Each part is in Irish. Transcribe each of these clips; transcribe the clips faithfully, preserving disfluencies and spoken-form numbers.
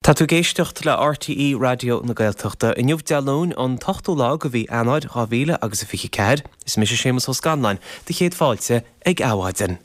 Tá tú ag éisteacht le RTÉ Raidió na Gaeltachta. Inniu Dé Luain an t-ochtú lá de mhí Eanáir dhá mhíle agus a fiche ceathair. Is mise Séamus Ó Scanláin, do chéad fáilte ag Adhmhaidin.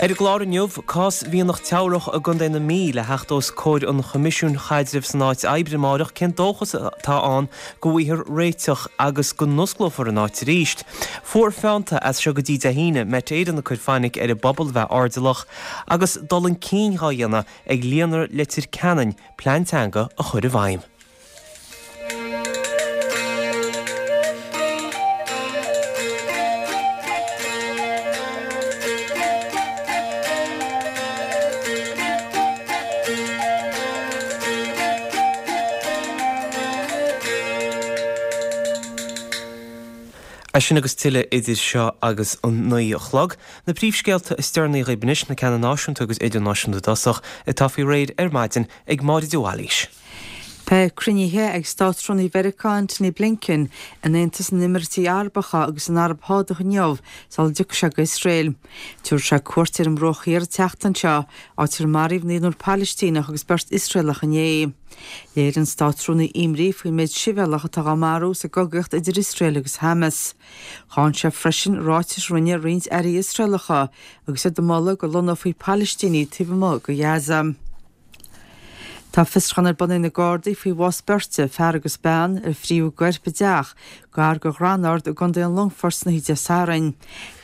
Ar an gclár inniu, cás Mhianach Teamhrach i gContae na Mí le theacht os comhair an Choimisiúin Chaidrimh san Áit Oibre amárach, cén dóchas atá ann go bhfaighfear réiteach agus go n-osclófar an áit arís? Fuar feannta as seo go dtí Dé hAoine, Met Éireann ag cur fainic ar an bpobal bheith airdeallach agus dul chun cinn dhá dhéanamh ag Líonra Leitir Ceanainn plean teanga a chur i bhfeidhm. É sin agus tuilleadh idir seo agus an naoi a chlog. Na príomhscéalta is deireanaí dhaoibh anois, na ceanna náisiúnta agus idirnáisiúnta i dtosach, atá faoi réir ar maidin ag Máire de Bhailís. Beidh cruinnithe ag Státrúnaí Mheiriceá Antony Blinken in Aontas na nÉimíríochtaí Arabacha agus san Araib Shádach inniu sula dtiocfaidh sé go hIosrael. Tabharfaidh sé cuairt ar an mBruach Thiar an tseachtain seo, áit ar maraíodh naonúr Palaistíneach agus beirt Iosraelach inné. Léirigh an Státrúnaí imní faoin méid sibhialtach atá á marú sa gcogaíocht idir Iosrael agus Hamas. Cháin sé freisin ráitis a rinne roinnt airí Iosraelacha agus iad ag moladh go lonnófaí Palaistínigh taobh amuigh de Ghaza. Tá fiosrúchán ar bun ag na Gardaí faoi bhás beirte, fear agus bean, ar fríodh a gcoirp i dteach gar do Dhromard i gContae an Longfoirt san oíche Dé Sathairn.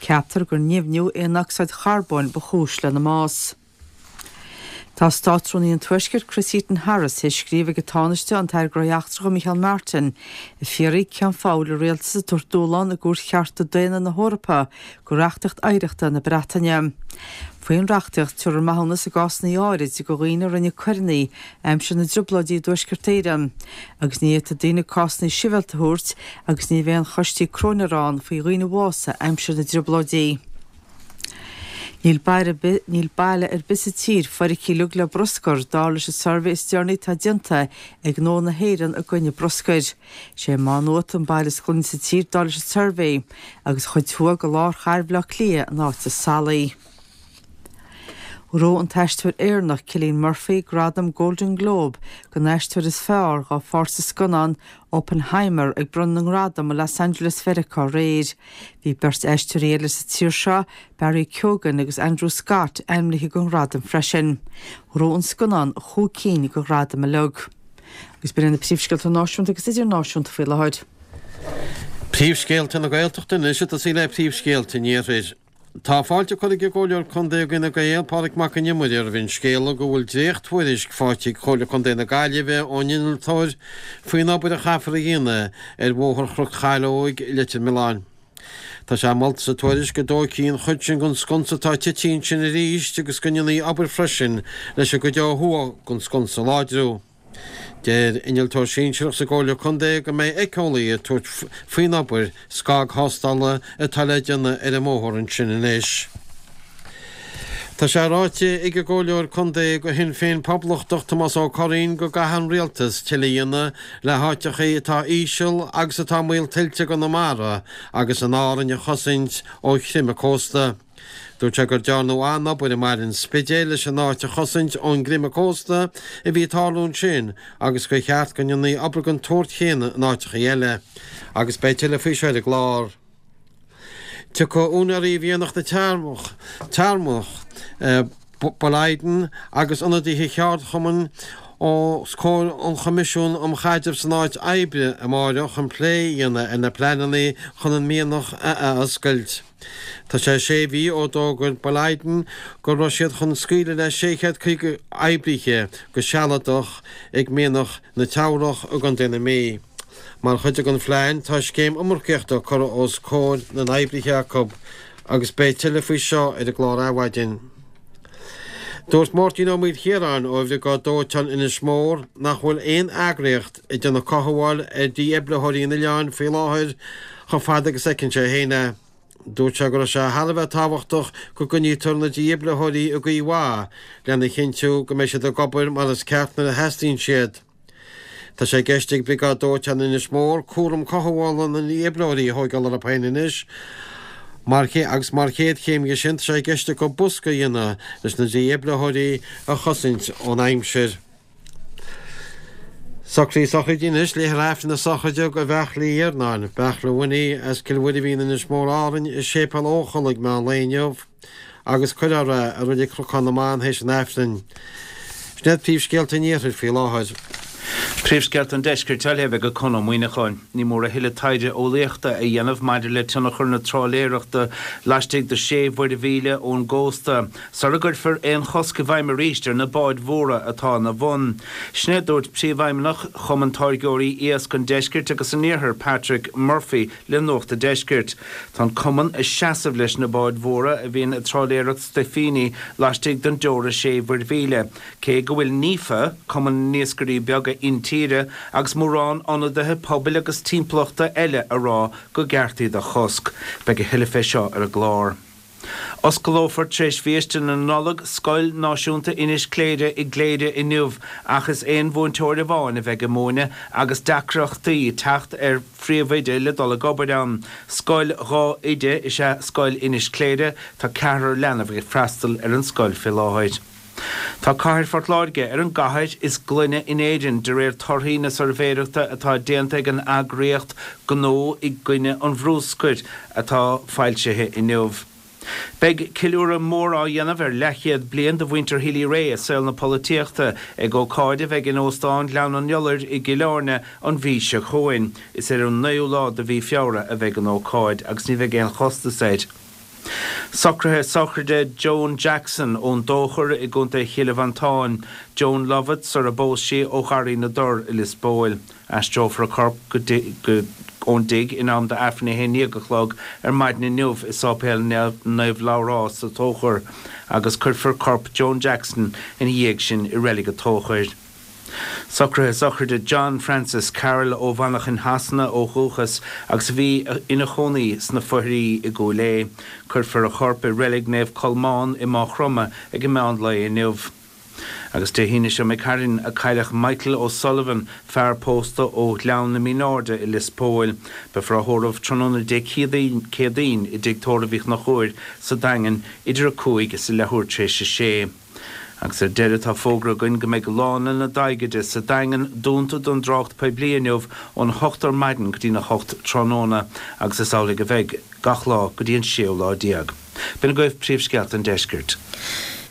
Ceaptar gur nimhniú aonocsaíd charbóin ba chúis lena mbás. Tá Státrúnaí an Tuaiscirt Chris Heaton-Harris théis scríobh ag an Tánaiste an tAire Gnóthaí Eachtracha Micheál Martin ag fiafraí cén fáth a bhfuil an rialtas ag tabhairt dúshlán i gCúirt Chearta Daonna na hEorpa do reachtaíocht oidhreachta na Breataine. Faoin reachtaíocht, tabharfar maithiúnas i gcásanna áirid do dhaoine a rinne coireanna aimsir na dTrioblóidí i dTuaisceart Éireann agus ní fhéadfaidh daoine cásanna sibhialta a thabhairt agus ní bheidh aon choistí cróinéara ann faoi dhaoine a bhásaigh aimsir na dTrioblóidí. Níl baile níl baile ar bith sa tír feicthe uilig le bruscar, dar leis an suirbhé is deireanaí atá déanta ag Gnó na hÉireann i gcoinne bruscair. Sé Má Nuat an baile is glaine sa tír dar leis an suirbhé, agus chuid thuaidh de lár chathair Bhaile Átha Cliath an áit is salaí. Ghnóthaigh an t-aisteoir Éireannach Cillian Murphy gradam Golden Globe don aisteoir is fearr dá pháirt sa scannán Oppenheimer ag bronnadh na ngradam i Los Angeles Mheiriceá aréir. Bhí beirt aisteoirí eile sa tír seo, Barry Keoghan agus Andrew Scott, ainmnithe don ghradam freisin. Ghnóthaigh an scannán chúig cinn de ghradaim uilig. Agus b'in iad na príomhscéalta náisiúnta agus idirnáisiúnta faoi láthair. Príomhscéalta na Gaeltachta anois ag tosaí le príomhscéalta an Iarthair. Tá fáilte curtha ag an gComhairleoir Contae d'Fhine Gael, Pádraig Mac Con Iomaire, roimh an scéala go bhfuil dréacht-thuairisc faighte ag Comhairle Contae na Gaillimhe ón innealtóir faoin obair a chaithfear a dhéanamh ar Bhóthar Chnoc Chaileoig, Leitir Mealláin. Tá sé molta sa tuairisc go dtógfaí an chuid sin den sconsa atá tite ansin arís agus go ndéanfaí obair freisin leis an gcuid ó thuaidh den sconsa a láidriú. Deir innealtóir sinsearach sa gComhairle Contae go mbeidh éiceolaí ag tabhairt faoin obair scagthástála atá le déanamh ar an mbóthar ansin anois. Tá sé ráite ag an gComhairleoir Contae do Shinn Féin Poblachtach Tomás Ó Curraoin go gcaithfidh an Rialtas tuilleadh a dhéanamh le háiteachaí atá íseal agus atá i mbaol tuilte i gConamara agus in Árainn a chosaint ó chreimeadh cósta. Dúirt sé gur dearnadh an-obair i mBaile an Spidéil leis an áit a chosaint ón gcreimeadh cósta a bhí ag tarlú ansin agus gur cheart go ndéanfaí obair den tsórt chéanna in áiteachaí eile. Agus beidh tuilleadh faoi seo ar an gclár. Tiocfaidh úinéirí Mhianach na Teamhrach, Boliden agus ionadaithe cheardchumainn os comhair an Choimisiúin um Chaidreamh san Áit Oibre amáireach chun plé a dhéanamh ar na pleananna chun an mianach a athoscailt. Tá sé sé mhí ó d'fhógair Boliden go raibh siad chun scaoileadh le sé chéad caoga oibrithe go sealadach ag mianach na Teamhrach i gContae na Mí. Mar chuid den phlean tá scéim iomarcaíochta curtha os comhair na n-oibrithe acu agus beidh tuilleadh faoi seo ar an gclár Adhmhaidin. Dúirt Máirtín Ó Maoilchiaráin ó Bhriogáid Dóiteáin Inis Mór nach bhfuil aon eagraíocht ag déanamh cothabháil ar dhífhibritheoirí an oileáin faoi láthair chomh fada agus a fheiceann sé féin é. Dúirt sé go raibh sé thar a bheith tábhachtach go gcoinnítear na dífhibritheoirí i gcaoi mhaith lena chinntiú go mbeidh siad ag obair mar is ceart nuair a theastaíonn siad. Tá sé i gceist ag Briogáid Dóiteáin Inis Mór cúram cothabhála na ndífhibritheoirí a thóigeáil orthu féin anois Mar agus mar chéad chéim dhe sin tá sé i gceist acu bosca a dhéanamh leis na dífhibritheoirí a chosaint ón aimsir. Socruithe sochraide anois, léifear Aifreann na sochraide do Bheartla Uí Iarnáin, Beartla Winnie as Cill Mhuirbhín Inis Mór Árainn i Séipéal Eochaill ag meán lae inniu agus cuirfear é i Reilig Chnocán na mBan théis an Aifrinn. Sin iad príomhscéalta an Iarthair faoi láthair. Príomhscéalta an Deiscirt á léamh ag Conn Ó Muíneacháin. Ní mór a thuilleadh taighde eolaíochta a dhéanamh maidir le tionchar na trálaeireachta laistigh de sé mhuirmhíle ón gcósta, sara gcuirfear aon chosc i bhfeidhm arís ar na báid mhóra atá ina bhun. Sin é a dúirt Príomhfheidhmeannach Chumann Táirgeoirí Iasc an Deiscirt agus an Iarthair, Patrick Murphy le Nuacht an Deiscirt. Tá an cumann ag seasamh leis na báid mhóra a bhíonn ag trálaeireacht stuifíní laistigh den dteora sé mhuirmhíle, cé go bhfuil NIFA, Cumann na nIascairí Beaga Intíre, agus mórán ionadaithe pobail agus timpeallachta eile a rá go gceart iad a chosc. Beidh a thuilleadh fé seo ar an gclár. Osclófar tar éis bhiaiste na Nollag Scoil Náisiúnta Inis Cléire i gCléire inniu ach is aon mhúinteoir amháin a bheidh ag múineadh agus deacrachtaí teacht ar phríomhoide le dul ag obair ann. Scoil dhá oide is ea Scoil Inis Cléire, tá ceathrar leanbh ag freastal ar an scoil fé láthair. Tá cathair Phort Láirge ar an gcathair is glaine in Éirinn de réir torthaí na suirbhéireachta atá déanta ag an eagraíocht Gnó i gCoinne an Bhrúscair atá foilsithe inniu. Beidh ceiliúradh mór á dhéanamh ar leathchéad bliain de mhuintir Healy-Rae i saol na polaitíochta ag ócáid a bheidh in Óstán Ghleann an Iolair i gCill Airne an mhí seo chugainn. Is ar an naoú lá de mhí Feabhra a bheidh an ócáid agus ní bheidh aon chostas air. Socruithe sochraide Joan Jackson ón dTóchar i gContae Chill Mhantáin, Joan Lovett sar a bpós sí ó Gharraí na dTor i Lios Póil. Aistreofar a corp go ón dtigh in am d'Aifreann a haon déag a chlog ar maidin inniu i Sáipéal Naomh Labhrás sa Tóchar agus cuirfear corp Joan Jackson ina dhiaidh sin i Reilig an Tóchair. Socruithe sochraide John Francis Carroll ó Mhanchain Shasana ó dhúchas agus a bhí ina chónaí sna Foithrí i gCúil Aodha. Cuirfear a chorp i Reilig Naomh Colmán i Máigh Chromtha ag an meán lae inniu. Agus Dé hAoine seo imigh tharainn a cailleadh Michael O'Sullivan, fear pósta ó Ghleann na Mínáirde i Lios Póil. Beifear á thórramh tráthnóna Dé Céadaoin i dTigh Tórraimh Uí Chonchúir sa Daingean idir a cúig is a leathuair tar éis a sé. Agus ar deireadh tá fógra againn go mbeidh Lána na Daighide sa Daingean dúnta don dtrácht poiblí inniu ón hocht ar maidin go dtí'n a hocht tráthnóna agus is amhlaidh a bheidh gach lá go dtí an séú lá déag. B'in agaibh príomhscéalta an deiscirt.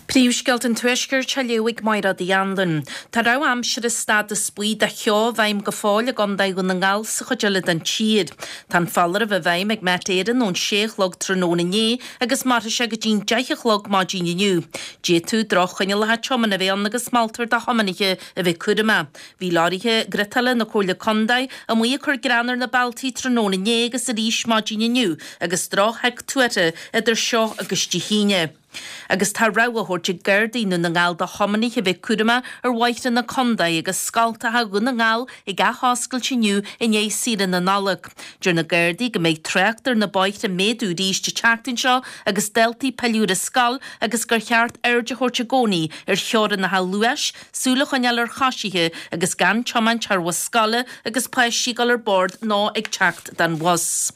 Príomhscéalta an Tuaiscirt á léamh ag Mairéad Uí Anluain. Tá rabhadh aimsire stádas buí do cheo i bhfeidhm go fóill i gContae Dhún na nGall sa chuid eile den tír. Tá an foláireamh i bhfeidhm ag Met Éireann ón sé a chlog tráthnóna inné agus mairfidh sé go dtí'n deich a chlog maidin inniu. D'fhéadfadh droch-choinníollacha tiomána a bheith ann agus moltar do thiománaithe a bheith cúramach. Bhí leoraithe griotála na Comhairle Contae amuigh ag cur grean ar na bealtaí tráthnóna inné agus arís maidin inniu agus drochsheic tuartha idir seo agus Dé hAoine. Agus tá rabhadh á thabhairt ag Gardaí i nDún na nGall do thiománaithe a bheith cúramach ar bhóithre na contae agus scoltacha Dhún na nGall ag athoscailt inniu i ndiaidh saoire na Nollag. Deir na Gardaí go mbeidh trácht ar na bóithre ag méadú arís an tseachtain seo agus daltaí ag pilleadh ar an scoil agus gur cheart aird a thabhairt i gcónaí ar theorainneacha luais, súil a choinneáil ar choisithe agus gan tiomáint thar bhus scoile agus páistí ag dul ar bord nó ag teacht den bhus.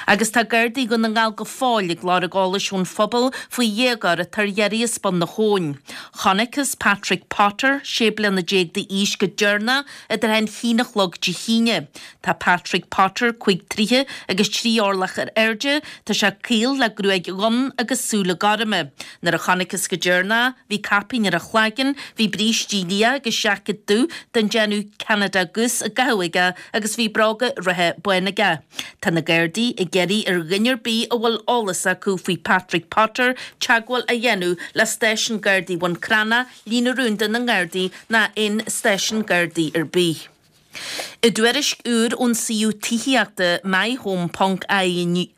Agus tá Gardaí Dhún na nGall go fóill ag lorg eolais ón phobal faoi dhéagóir atá ar iarraidh as Bun na hAbhann. Chonacthas Patrick Potter, sé bliana déag d'aois, go deireanach idir a haon a chlog Dé hAoine. Tá Patrick Potter cúig troighe agus trí orlach ar airde, tá sé caol le gruaig dhonn agus súile gorma. Nuair a chonacthas go deireanach, bhí caipín ar a chlaigeann, bhí brístí liath agus seaicéad dubh den déanamh Canada Goose á gcaitheamh aige agus bhí bróga reatha bána aige. Tá na Gardaí ag iarraidh ar dhuine ar bith a bhfuil eolas acu faoi Patrick Potter teagmháil a dhéanamh le Stáisiún Gardaí Bhun Cranncha, Líne Rúnda na nGardaí ná aon stáisiún Gardaí ar bith. I dtuairisc úr ón suíomh tithíochta myhome ponc ie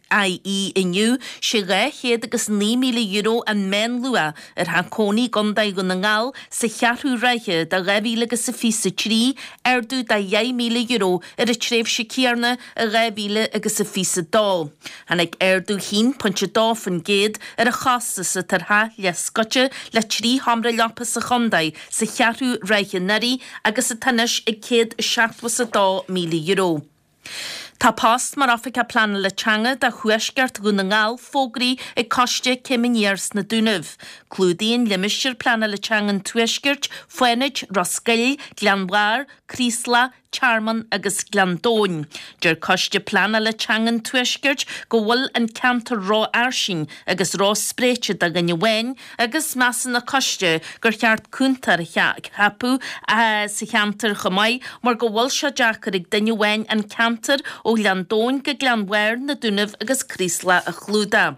inniu, sé dhá chéad agus naoi míle euro an meánluach ar theach cónaí i gContae Dhún na nGall sa cheathrú ráithe de dhá mhíle agus a fiche a trí, ardú de dheich míle euro ar an tréimhse céanna i dhá mhíle agus a fiche a dó. Tháinig ardú haon pointe dó faoin gcéad ar an chostas atá ar theach leathscoite le trí sheomra leapa sa chontae sa cheathrú ráithe anuraidh agus atá anois ag céad is seachtó is a dó míle euro. Tá post mar Oifigeach Pleanála Teanga do Thuaisceart Dhún na nGall fógraithe ag Coiste Céim Aniar sna Dúnaibh. Clúdaíonn limistéar pleanála teanga an Tuaiscirt, Fánaid, Ros Goill, Gleann Bharr, Craoslach, Tearmann agus Gleann Domhain. Deir Coiste Pleanála Teanga an Tuaiscirt go bhfuil an ceantar rófhairsing agus róspréite do dhuine amháin agus measann an coiste gur cheart cúntóir a cheapadh sa cheantar chomh maith mar go bhfuil sé deacair ag duine amháin an ceantar ó Ghleann Domhain go Gleann Bharr, na Dúnaibh agus Craoslach a chlúdach.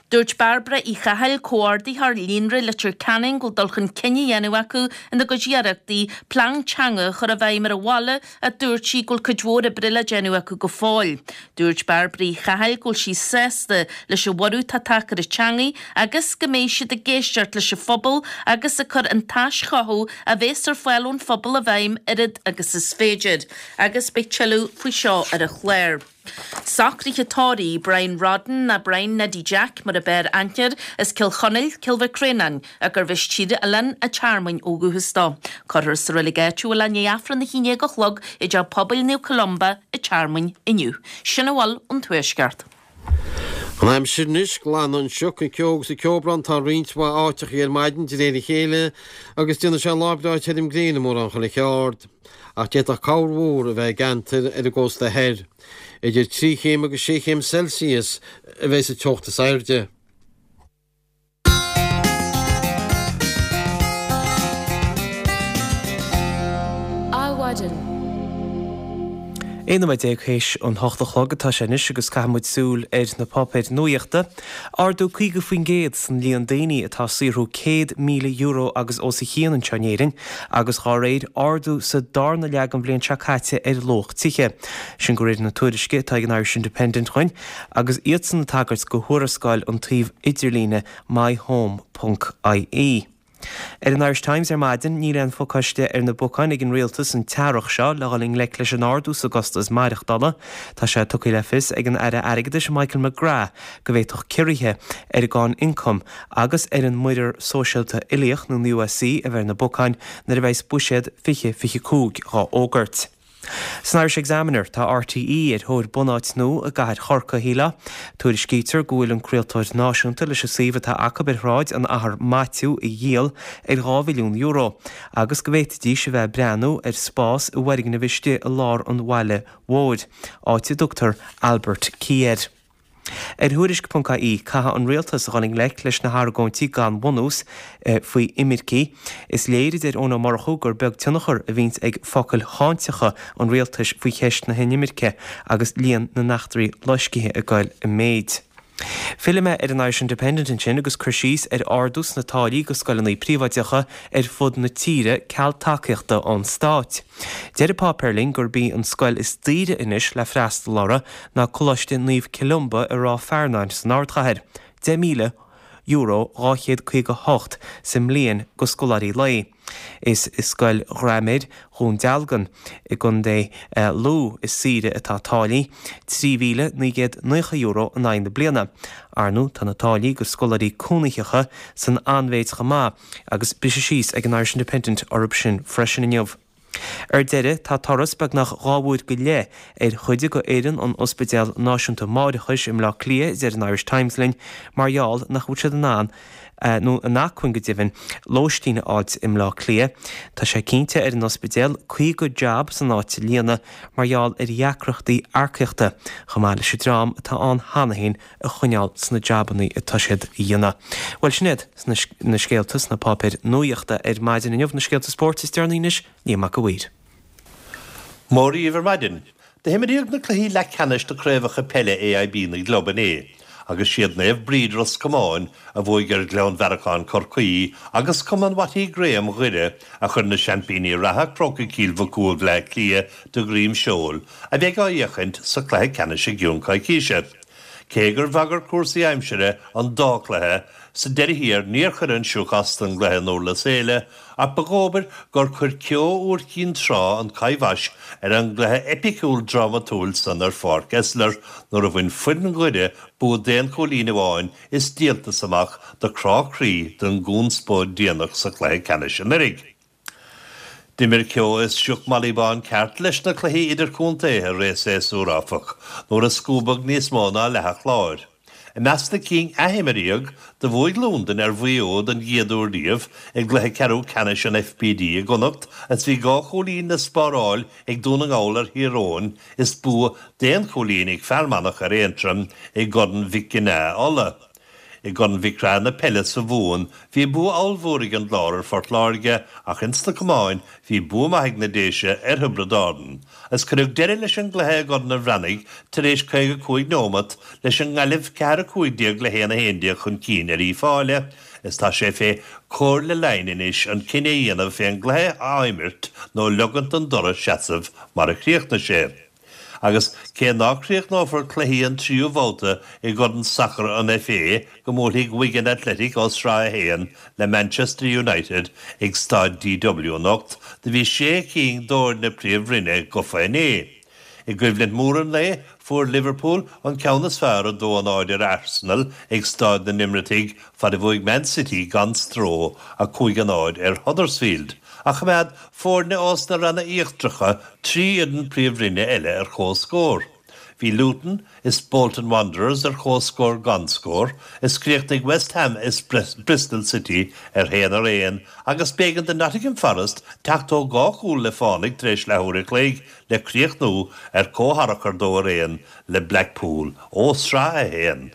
Dúirt Bairbre Uí Chathail, Comhordaitheoir Líonra Leitir Ceanainn go bhfuil dul chun cinn á dhéanamh acu ina gcuid iarrachtaí plean teanga a chur i bhfeidhm ar an bhaile ach dúirt sí go bhfuil cuid mhór oibre le déanamh acu go fóill. Dúirt Bairbre Uí Chathail go bhfuil sí sásta leis an bhorradh atá tagtha ar an teangaidh agus go mbeidh siad ag éisteacht leis an phobal agus ag cur an t-aischothú a bhéas ar fáil ón phobal i bhfeidhm oiread agus is féidir. Agus beidh tuilleadh faoi seo ar an chlár. Socruithe tórraimh Brian Rodden ná Brian Neidí Jack mar ab fhearr aithne air, as Cill Chonaill, Cill Mhic Réanáin, gurbh as Tír Oileáin a' Tearmainn ó dhúchas dó. Cuirfear sa reilig áitiúil é i ndiaidh Aifreann a haon déag a chlog i dTeach Pobail Naomh Columba a' Tearmainn inniu. Sin a bhfuil ón Tuaisceart. An aimsir anois, glanfaidh an sioc, an ceo agus an ceobhrán atá i roinnt mhaith áiteachaí ar maidin de réir a chéile agus déanfaidh sé lá breá tirim gréine mórán chuile cheard. Ach d'fhéadfadh corrmhúr a bheith i gceantair ar an gcósta thoir. Idir trí chéim agus sé chéim Celsius a bheidh sa teocht is airde. Adhmhaidin. Aon nóiméad déag théis an hocht a chlog atá sé anois agus caithfidh muid súil ar na páipéir nuaíochta. Ardú caoga faoin gcéad san líon daoine atá ag saothrú céad míle euro agus os a chionn anseo in Éirinn agus dhá réir ardú sa darna leath den bhliain seo caite ar luach tithe. Sin de réir na tuairisce atá ag an Irish Independent dhuinn agus iadsan ag tagairt go thuarascáil an tsuímh idirlíne myhome ponc ie. Ar an Irish Times ar maidin, níl aon phacáiste ar na bacáin ag an rialtas an t-earrach seo le dhul i ngleic leis an ardú sa gcostas maireachtála. Tá sé tugtha le fios ag an Aire Airgeadais Michael McGrath go bhféadfadh ciorruithe ar an gcáin ioncaim agus ar an Muirear Sóisialta Uilíoch nó an U S C a bheith ar na bacáin nuair a bheas Buiséad fiche fiche cúig dhá fhógairt. San Irish Examiner, tá R T E ar thóir bunáit nua i gcathair Chorcaí, shílfeá. Tuairiscítear go bhfuil an craoltóir náisiúnta leis an suíomh atá acu ar Shráid an Athar Maitiú a dhíol ar dhá mhilliún euro agus go bhféadfaidís a bheith ag breathnú ar spás i bhfoirgneamh istigh i lár an bhaile mhóir, áit a dtugtar Albert Quay air. Ar Thuairisc ponc I E, caithfidh an rialtas a dhul i ngleic leis na hargóintí gan bhunús faoi imircigh. Is léir, a deir Eoin Ó Murchú, gur beag tionchar a bhíonns ag focail cháinteacha an rialtais faoi cheist na hinimirce agus líon na n-eachtraí loiscthe ag dul i méid. Fillfidh mé ar an Irish Independent ansin agus cur síos ar ardú sna táillí go scoileanna príobháideacha ar fud na tíre ceal tacaíochta ón stát. Deir an páipéar linn gurb í an scoil is daoire anois le freastal orthu ná Coláiste Naomh Columba i Ráth Fearnáin san ardchathair, deich míle euro dhá chéad caoga hocht sa mbliain go scoláirí lae. Is i Scoil Ghraiméir Dhún Dealgan i gContae Lú is saoire atá táillí, trí mhíle naoi gcéad naocha euro in aghaidh na bliana. Ar ndóigh, tá na táillí go scoláirí cónaitheacha san an-mhéid chomh maith agus briseadh síos ag an Irish Independent orthu sin freisin inniu. Ar deireadh, tá turas beagnach dhá uair go leith ar chuid de fhoireann an Ospidéal Náisiúnta Máithreachais i mBleá Cliath, a deir an Irish Times linn, mar gheall nach bhfuil siad in ann, nó in acmhainn go deimhin, lóistín a fháilt i mBleá Cliath. Tá sé cinnte ar an ospidéal caoga jab san áit a líonadh mar gheall ar dheacrachtaí earcaíochta, chomh maith leis an dream atá ann cheana féin a choinneáil sna jabannaí atá siad a dhéanamh. Bhuel, sin iad na scéalta sna páipéir nuaíochta ar maidin inniu, na scéalta spóirt is deireanaí anois, Liam Mac a' Mhaoir. Mora dhaoibh ar maidin. Do himríodh na cluichí leathcheannais de chraobhacha peile A I B na gclub inné agus siad Naomh Bríd Ros Comáin a bhuaigh ar Ghleann Bhearacáin Chorcaí agus Cumann Watty Graham Dhoire a chuir na seaimpíní reatha Crócaigh Chill Mhic Cumhaill Bhleá Cliath de dhroim seoil a bheidh á fhéachaint sa chluiche ceannais i gcionn coicíse. Cé gur bhagair cúrsaí aimsire an dá chluiche, sa deireadh thiar níor chuir an sioc as don gcluiche in Durlas Éile ach ba dhóbair gur chuir ceo úr Chinn Trá an choibhais ar an gcluiche eipiciúil drámatúil san ar Pháirc Esler nuair a bhain foireann Dhoire bua d'aon chúilín amháin is díoltas amach do chrá croí don gconspóid déanach sa chluiche ceannais anuraidh. D'imir ceo is sioc Malaí Bán ceart leis na cluichí idirchontae i rith an tséasúir áfach, nuair a scuabadh níos mó ná leath an Chláir. I measc na cinn a imríodh, do bhuaigh Londain ar Mhaigh Eo don gcéad uair riamh i gcluiche ceathrú ceannais an F B D i gConnacht is bhí dhá chúilín le spáráil ag Dún na nGall ar Thír Eoghain is bua d'aon chúilín ag Fear Manach ar Aontroim i gCorn Mhic Ginneá Uladh. I gCorn Mhic Craith na peile sa Mhumhain, bhí bua ollmhór ag an gClár ar Phort Láirge ach ins na camáin bhí bua maith ag na Déise ar Thiobraid Árann. Is cuireadh deireadh leis an gcluiche i gCorn an Bhreathnaigh tar éis caoga cúig neomat leis an nGaillimh ceathair a cúig déag le haon a haon déag chun cinn ar Uíbh Fhailí is tá sé fé Chomhairle Laighean anois an cinneadh a dhéanamh fé an gcluiche a imirt nó leigint don dtoradh seasamh mar a chríochnaigh sé. Agus cé ná críochnófar cluichí an tríú babhta i gCorn Sacair an F A go mbuailfidh Wigan Athletic ó Sraith a haon le Manchester United ag Staid D W anocht, do bhí sé cinn d'fhoirne Príomhroinne gafa inné. I gcoimhlint mhór an lae, fuair Liverpool an ceann is fearr a dó a náid ar Arsenal ag Staid na nEimíríoch fad a bhuaigh Man City gan stró a cúig a náid ar Huddersfield. Ach choimeád foirne ós na ranna íochtaracha trí fhoireann Príomhroinne eile ar comhscór. Bhí Luton is Bolton Wanderers ar comhscór gan scór, is chríochnaigh West Ham is Bristol City ar haon ar aon agus b'éigean do Nottingham Forest teacht ó dhá chúl le fánaigh tar éis leathuair a chloig le críochnú ar comhtharrachar dó ar aon le Blackpool ó Sraith a haon.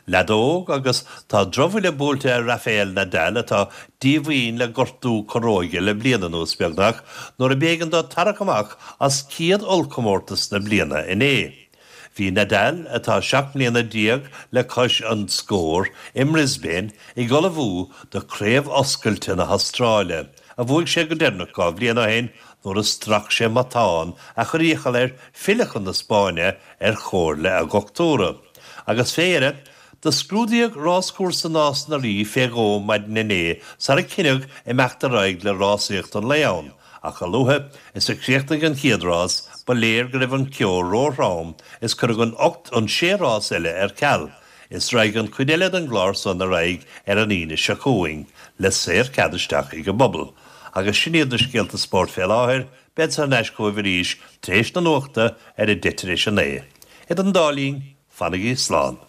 Leadóg agus tá drochbhuille buailte ar Rafael Nadal atá díomhaoin le gortú corróige le bliain anuas beagnach nuair a b'éigean dó tarrac amach as céad ollchomórtas na bliana inné. Bhí Nadal atá seacht mbliana déag le cois an scór i mBrisbane ag ullmhú do Chraobh Oscailte na hAstráile, a bhuaigh sé go deireanach dhá bhliain ó shin nuair a strac sé matán a chuir iachall air filleadh chun na Spáinne ar chomhairle a dhochtúra. Agus fé dheireadh, do scrúdaíodh ráschúrsa Nás na Rí fé dhó maidin inné sara cinneadh imeacht ar aghaidh le rásaíocht an lae ann, ach a luaithe is a chríochnaigh an chéad rás ba léir go raibh an ceo róthrom is cuireadh an ocht an sé rás eile ar ceal, is raghaidh an chuid eile den gclár san ar aghaidh ar an Aoine seo chugainn, le saorchead isteach ag an bpobal. Agus sin iad na scéalta spóirt fé láthair, bead thar n-ais chugaibh arís tar éis na nuachta ar a deich tar éis a naoi. Idir an dá linn, fanaigí slán.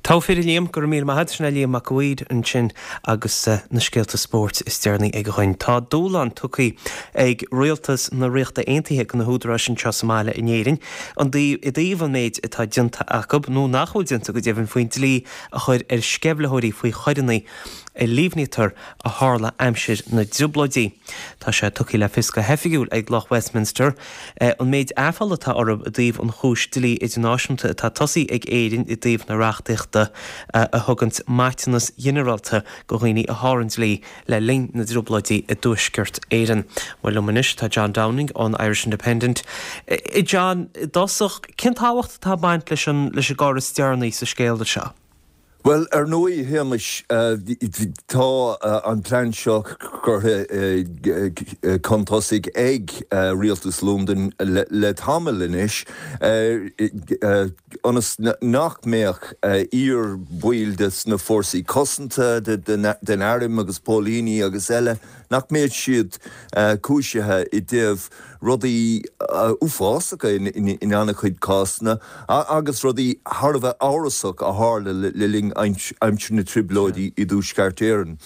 Tá fíor Liam, go raibh míle maith agat. Sin é Liam Mac a' Bhaoid ansin agus uh, na scéalta spóirt is deireanaí aige dhúinn. Tá dúshlán tugtha ag rialtas na Ríochta Aontaithe do na húdaráis anseo sa mbaile in Éirinn. An i dtaobh an méid atá déanta acu nó nach bhfuil déanta go deimhin faoin dlí a chur ar sceimhlitheoirí faoi choireanna a líomhnaítear a tharla aimsir na dTrioblóidí. Tá sé tugtha le fios go hoifigiúil ag lucht Westminster eh, an méid aiféala atá orthu i dtaobh an chúis dlí idirnáisiúnta atá tosaithe ag Éirinn i dtaobh na reachtaíochta eh, a thugann maiteanas ginearálta do dhaoine a sháraigh an dlí le linn na dTrioblóidí i dTuaisceart Éireann. Well liom anois tá John Downing ón Irish Independent. E, John, dosach cén tábhacht atá ag baint leis an leis an gcor is deireanaí sa scéal seo. Well, ar ndóigh Shéamais, tá an plean seo curtha chun tosaigh ag rialtas Londain le, le tamall anois ionas nach mbeadh iar-bhaill de na fórsaí cosanta den arm agus póilíní agus eile nach mbeadh siad cúisithe i dtaobh rudaí uafásacha in an-chuid cásanna agus rudaí thar a bheith amhrasach a tharla le linn aimsir na dTrioblóidí i dTuaisceart Éireann.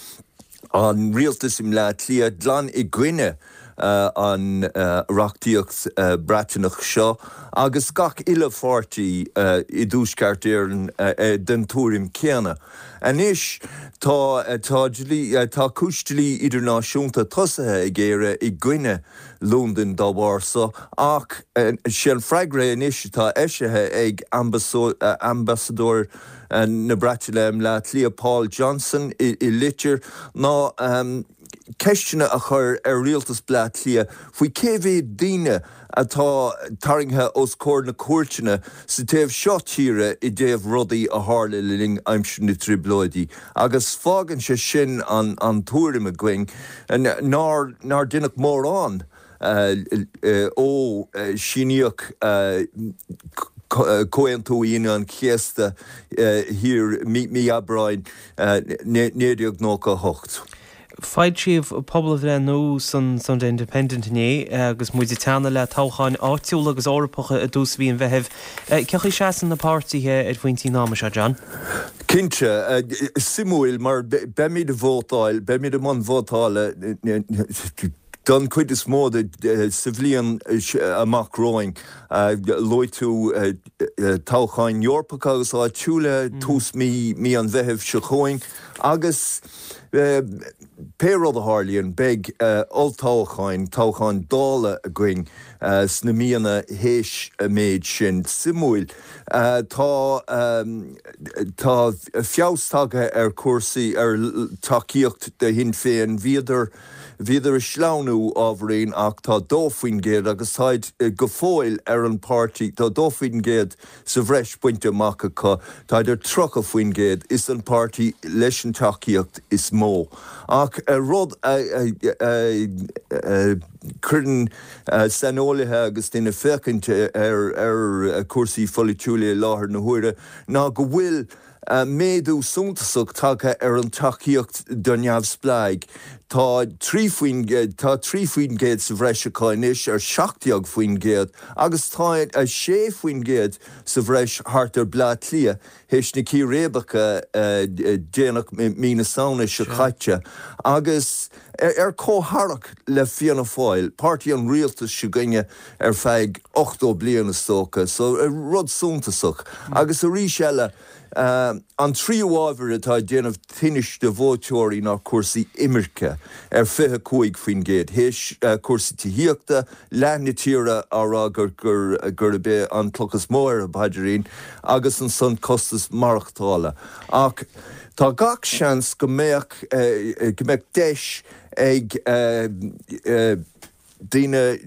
An rialtas i mBleá Cliath glan i gcoinne uh, an uh, reachtaíocht uh, Breataineach seo agus gach uile pháirtí uh, i dTuaisceart Éireann uh, uh, den tuairim céanna. Anois tá tá tá cúis dlí idirnáisiúnta tosaithe ag Éire i gcoinne Londain dá bharr so ach sé an freagra anois atá eisithe ag ambasadóir na Breataine i mBleá Cliath Paul Johnson i, i litir ná um, ceisteanna a chur ar rialtas Bleá Cliath faoi cé mhéad daoine atá tarraingthe os comhair na cúirteanna sa taobh seo tíre i dtaobh rudaí a tharla le linn aimsir na dTrioblóidí. Agus fágann sé sin an, an tuairim againn nár nár deineadh mórán uh, uh, ó uh, síníodh uh, Comhaontú Aoine an Chéasta thiar mí Aibreáin naoi déag nócha hocht. Foilsíodh pobalbhreith nua san Sunday Independent inné agus muid ag teannadh le toghcháin áitiúla agus Eorpacha i dtús mhí an Mheithimh. Cén chaoi a seasann na páirtithe ar phointí an ama seo, John? Cinnte, suimiúil mar beimid ag vótáil, beimid i mbun vótála don chuid is mó de sa bhliain amach romhainn. Luaigh tú toghcháin Eorpacha agus áitiúla tús mí mí an Mheithimh seo chugainn agus pé rud a tharlaíonn beidh olltoghcháin, toghcháin Dála againn sna míonna théis an méid sin. Suimiúil, tá tá feabhas tagtha ar chúrsaí, ar tacaíocht do Shinn Féin. Bhíodar Bhíodar ag sleamhnú ábhairín ach tá dó faoin gcéad agus táid go fóill ar an páirtí, tá dó faoin gcéad sa bhreis bainte amach acu, táid ar tríocha faoin gcéad, is an páirtí leis an tacaíocht is mó. Ach rud a chuireann saineolaithe agus daoine ag féachaint ar chúrsaí pholaitiúla i láthair na huaire ná go bhfuil méadú suntasach tagtha ar an tacaíocht do neamhspleáigh. Tá trí faoin tá trí faoin gcéad sa bhreis acu anois ar seacht déag faoin gcéad agus tá sé faoin gcéad sa bhreis thart ar Bleá Cliath théis na círéibeacha déanach mí na Samhna seo caite agus ar comhtharrac le Fianna Fáil, páirtí an rialtais s'againne ar feadh ochtó bliain is dócha, so rud suntasach. Agus arís eile, An tríú ábhar atá ag déanamh tinnis do vótóirí ná cúrsaí imirce, ar fiche cúig faoin gcéad, théis cúrsaí tithíochta, leath na tíre á rá gurb é an cloch is mó ar a bpaidrín, agus ansan costas maireachtála. Ach tá gach seans go mbeadh go mbeadh deis ag daoine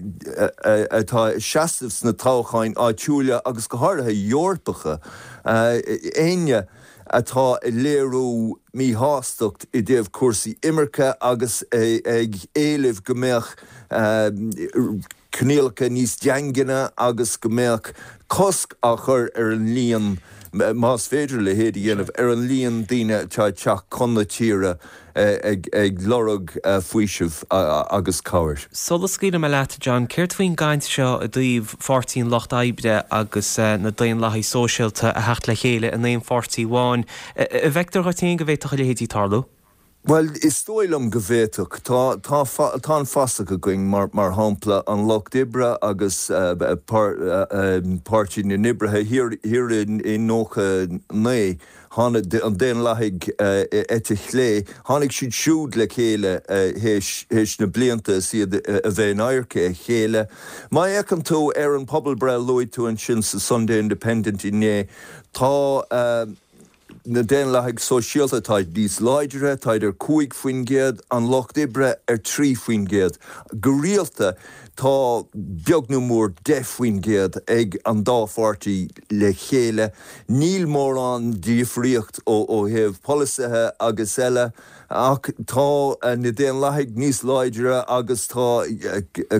atá ag seasamh sna toghcháin áitiúla agus go háirithe Eorpacha, éinne atá ag léiriú míshástacht i dtaobh cúrsaí imirce agus ag éileamh go mbeadh coinníollacha níos daingne agus go mbeadh cosc á chur ar an líon, más féidir a leithéid a dhéanamh, ar an líon daoine atá ag teacht chun na tíre ag lorg faoisimh agus cabhair. Sula scaoilfidh mé leat, John, céard faoin gcaint seo i dtaobh Pháirtí an Lucht Oibre agus na Daonlathaigh Sóisialta a theacht le chéile in aon pháirtí amháin? An bhfeictear dhuit féin go bhféadfadh a leithéidí tarlú? Bhuel, is dóigh liom go bhféadfadh. Tá, tá, tá an fasach againn, mar, mar shampla, an Lucht Oibre agus Páirtí na nOibrithe thiar, thiar i nócha naoi, tháinig an Daonlathaigh eite chlé, tháinig siad siúd le chéile théis, théis na blianta is iad a bheith in adharca a chéile. Má fhéachann tú ar an pobalbhreith a luaigh tú ansin sa Sunday Independent inné, tá, Na Daonlathaigh Sóisialta, táid níos láidre, táid ar cúig faoin gcéad, an Lucht Oibre ar trí faoin gcéad. Go rialta, tá beag nó mór deich faoin gcéad ag an dá pháirtí le chéile. Níl mórán difríocht ó thaobh polasaithe agus eile, ach tá na Daonlathaigh níos láidre agus tá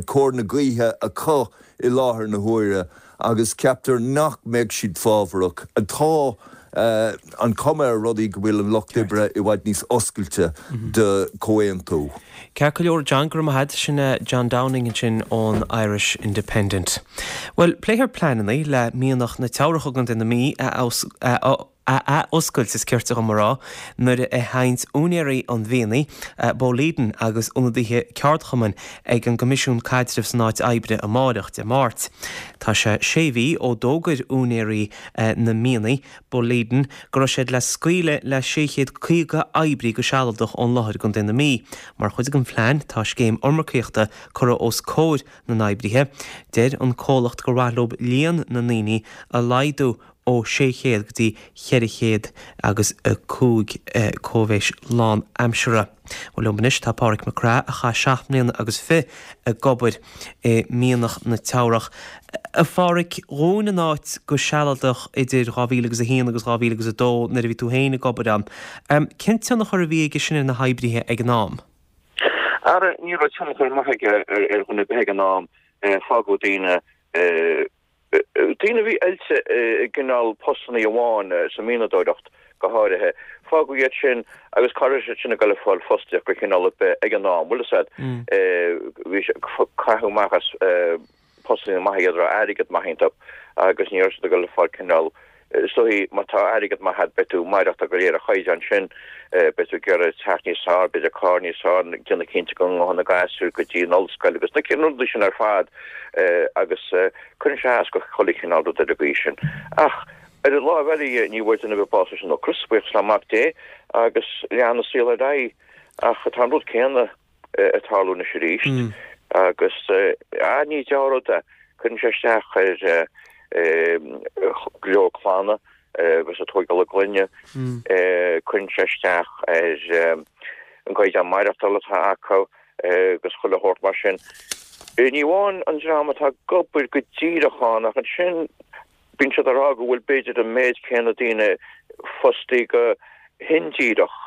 cóir na gaoithe acu i láthair na huaire agus ceaptar nach mbeidh siad fábharach. Tá an chuma ar rudaí go bhfuil an Lucht Oibre i bhfad níos oscailte do chomhaontú. Ceart go leor, John, go raibh maith agat. Sin John Downing ansin ón Irish Independent. Bhuel, pléifear pleananna le mianach na Teamhrach i gContae na Mí a ath-oscailt, is cirte dhom a rá, nuair a théanns úinéirí an mhianaigh, Boliden, agus ionadaithe ceardchumainn ag an gCoimisiún Caidrimh san Áit Oibre amáireach, Dé Máirt. Tá sé sé mhí ó d'fhógair úinéirí na mianaigh, Boliden, go raibh siad le scaoileadh le sé chéad caoga oibrí go sealadach ón láthair i gContae na Mí. Mar chuid den phlean tá scéim iomarcaíochta curtha os comhair na n-oibrithe. Deir an comhlacht gur mhaith leo líon na ndaoine a laghdú ó sé chéad go dtí cheithre chéad agus a cúig cóimhéis lán-aimseartha. Bhuel liom anois tá Páraic Mac Craith a chaith seacht mbliana agus fiche ag obair i Mianach na Teamhrach. A Pháraic, dhún an áit go sealadach idir dhá mhíle agus a haon agus dhá mhíle agus a dó nuair a bhí tú féin ag obair ann. Cén tionchar a bhí aige sin ar na hoibrithe ag an am? Ara, ní raibh tionchar maith aige ar dhuine ar bith ag an am. Fágadh daoine Daoine a bhí oilte i gcineál postannaí amháin sa mhianadóireacht, go háirithe. Fágadh iad sin agus cá raibh siad sin ag dul ag fáil fostaíocht go cineál ar bith ag an am, bhfuil fhios a'd. Bhí sé, caitheadh amach as postanna maithe iad a raibh airgead maith iontu agus ní raibh siad ag dul ag fáil cineál, is dóichí má tá airgead maith a'd beidh tú ag maireachtáil de réir an chaighdeáin sin, beidh tú ag iarraidh teach níos fearr, b'fhéidir carr níos fearr, déanamh cinnte go ngabhann na gasúir go dtí an ollscoil agus na rudaí sin ar fad agus cuireann sé as go chuile chineál rud ar an gcaoi sin. Ach ar an láimh eile dhe, ní bhfuair duine ar bith bás leis an ocras, buíochas le Mac Dé, agus lean an saol ar aghaidh. Ach tá an rud céanna ag tarlú anois arís agus ní dea-rud é. Cuireann sé isteach ar go leor clanna agus ag tógáil a gclainne. Cuireann sé isteach ar an gcaighdeán maireachtála atá acu agus chuile shórt mar sin. Ní amháin an dream atá ag obair go díreach ann ach ansin bíonn siad ag rá go bhfuil b'fhéidir an méid céanna daoine fostaí go hindíreach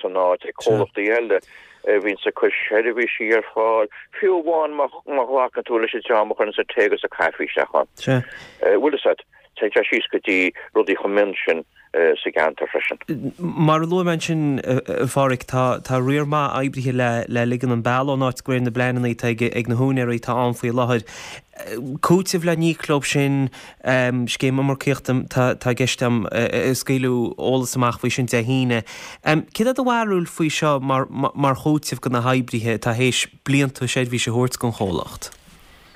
san áit ag comhlachtaí eile a bhíonns ag cur seirbhísí ar fáil, fiú amháin má ghlacann tú leis an dream a chuireanns an tae agus an caife isteach ann. Bhfuil fhios a'd, téann sé síos go dtí rudaí chomh mion sin sa gceantar freisin. Mar a luaigh mé ansin, a Pháraic, tá tá riar maith oibrithe le le ligean an bealach ón áit de réir na bpleananna atá ag ag na húinéirí atá ann faoi láthair. Cúiteamh le n-íoc leo sin, scéim iomarcaíochta tá i gceist agam, a scaoileadh eolas amach faoi sin Dé hAoine. Céard é do bharúil faoi seo mar mar chúiteamh do na hoibrithe atá théis blianta seirbhíse a thabhairt don chomhlacht?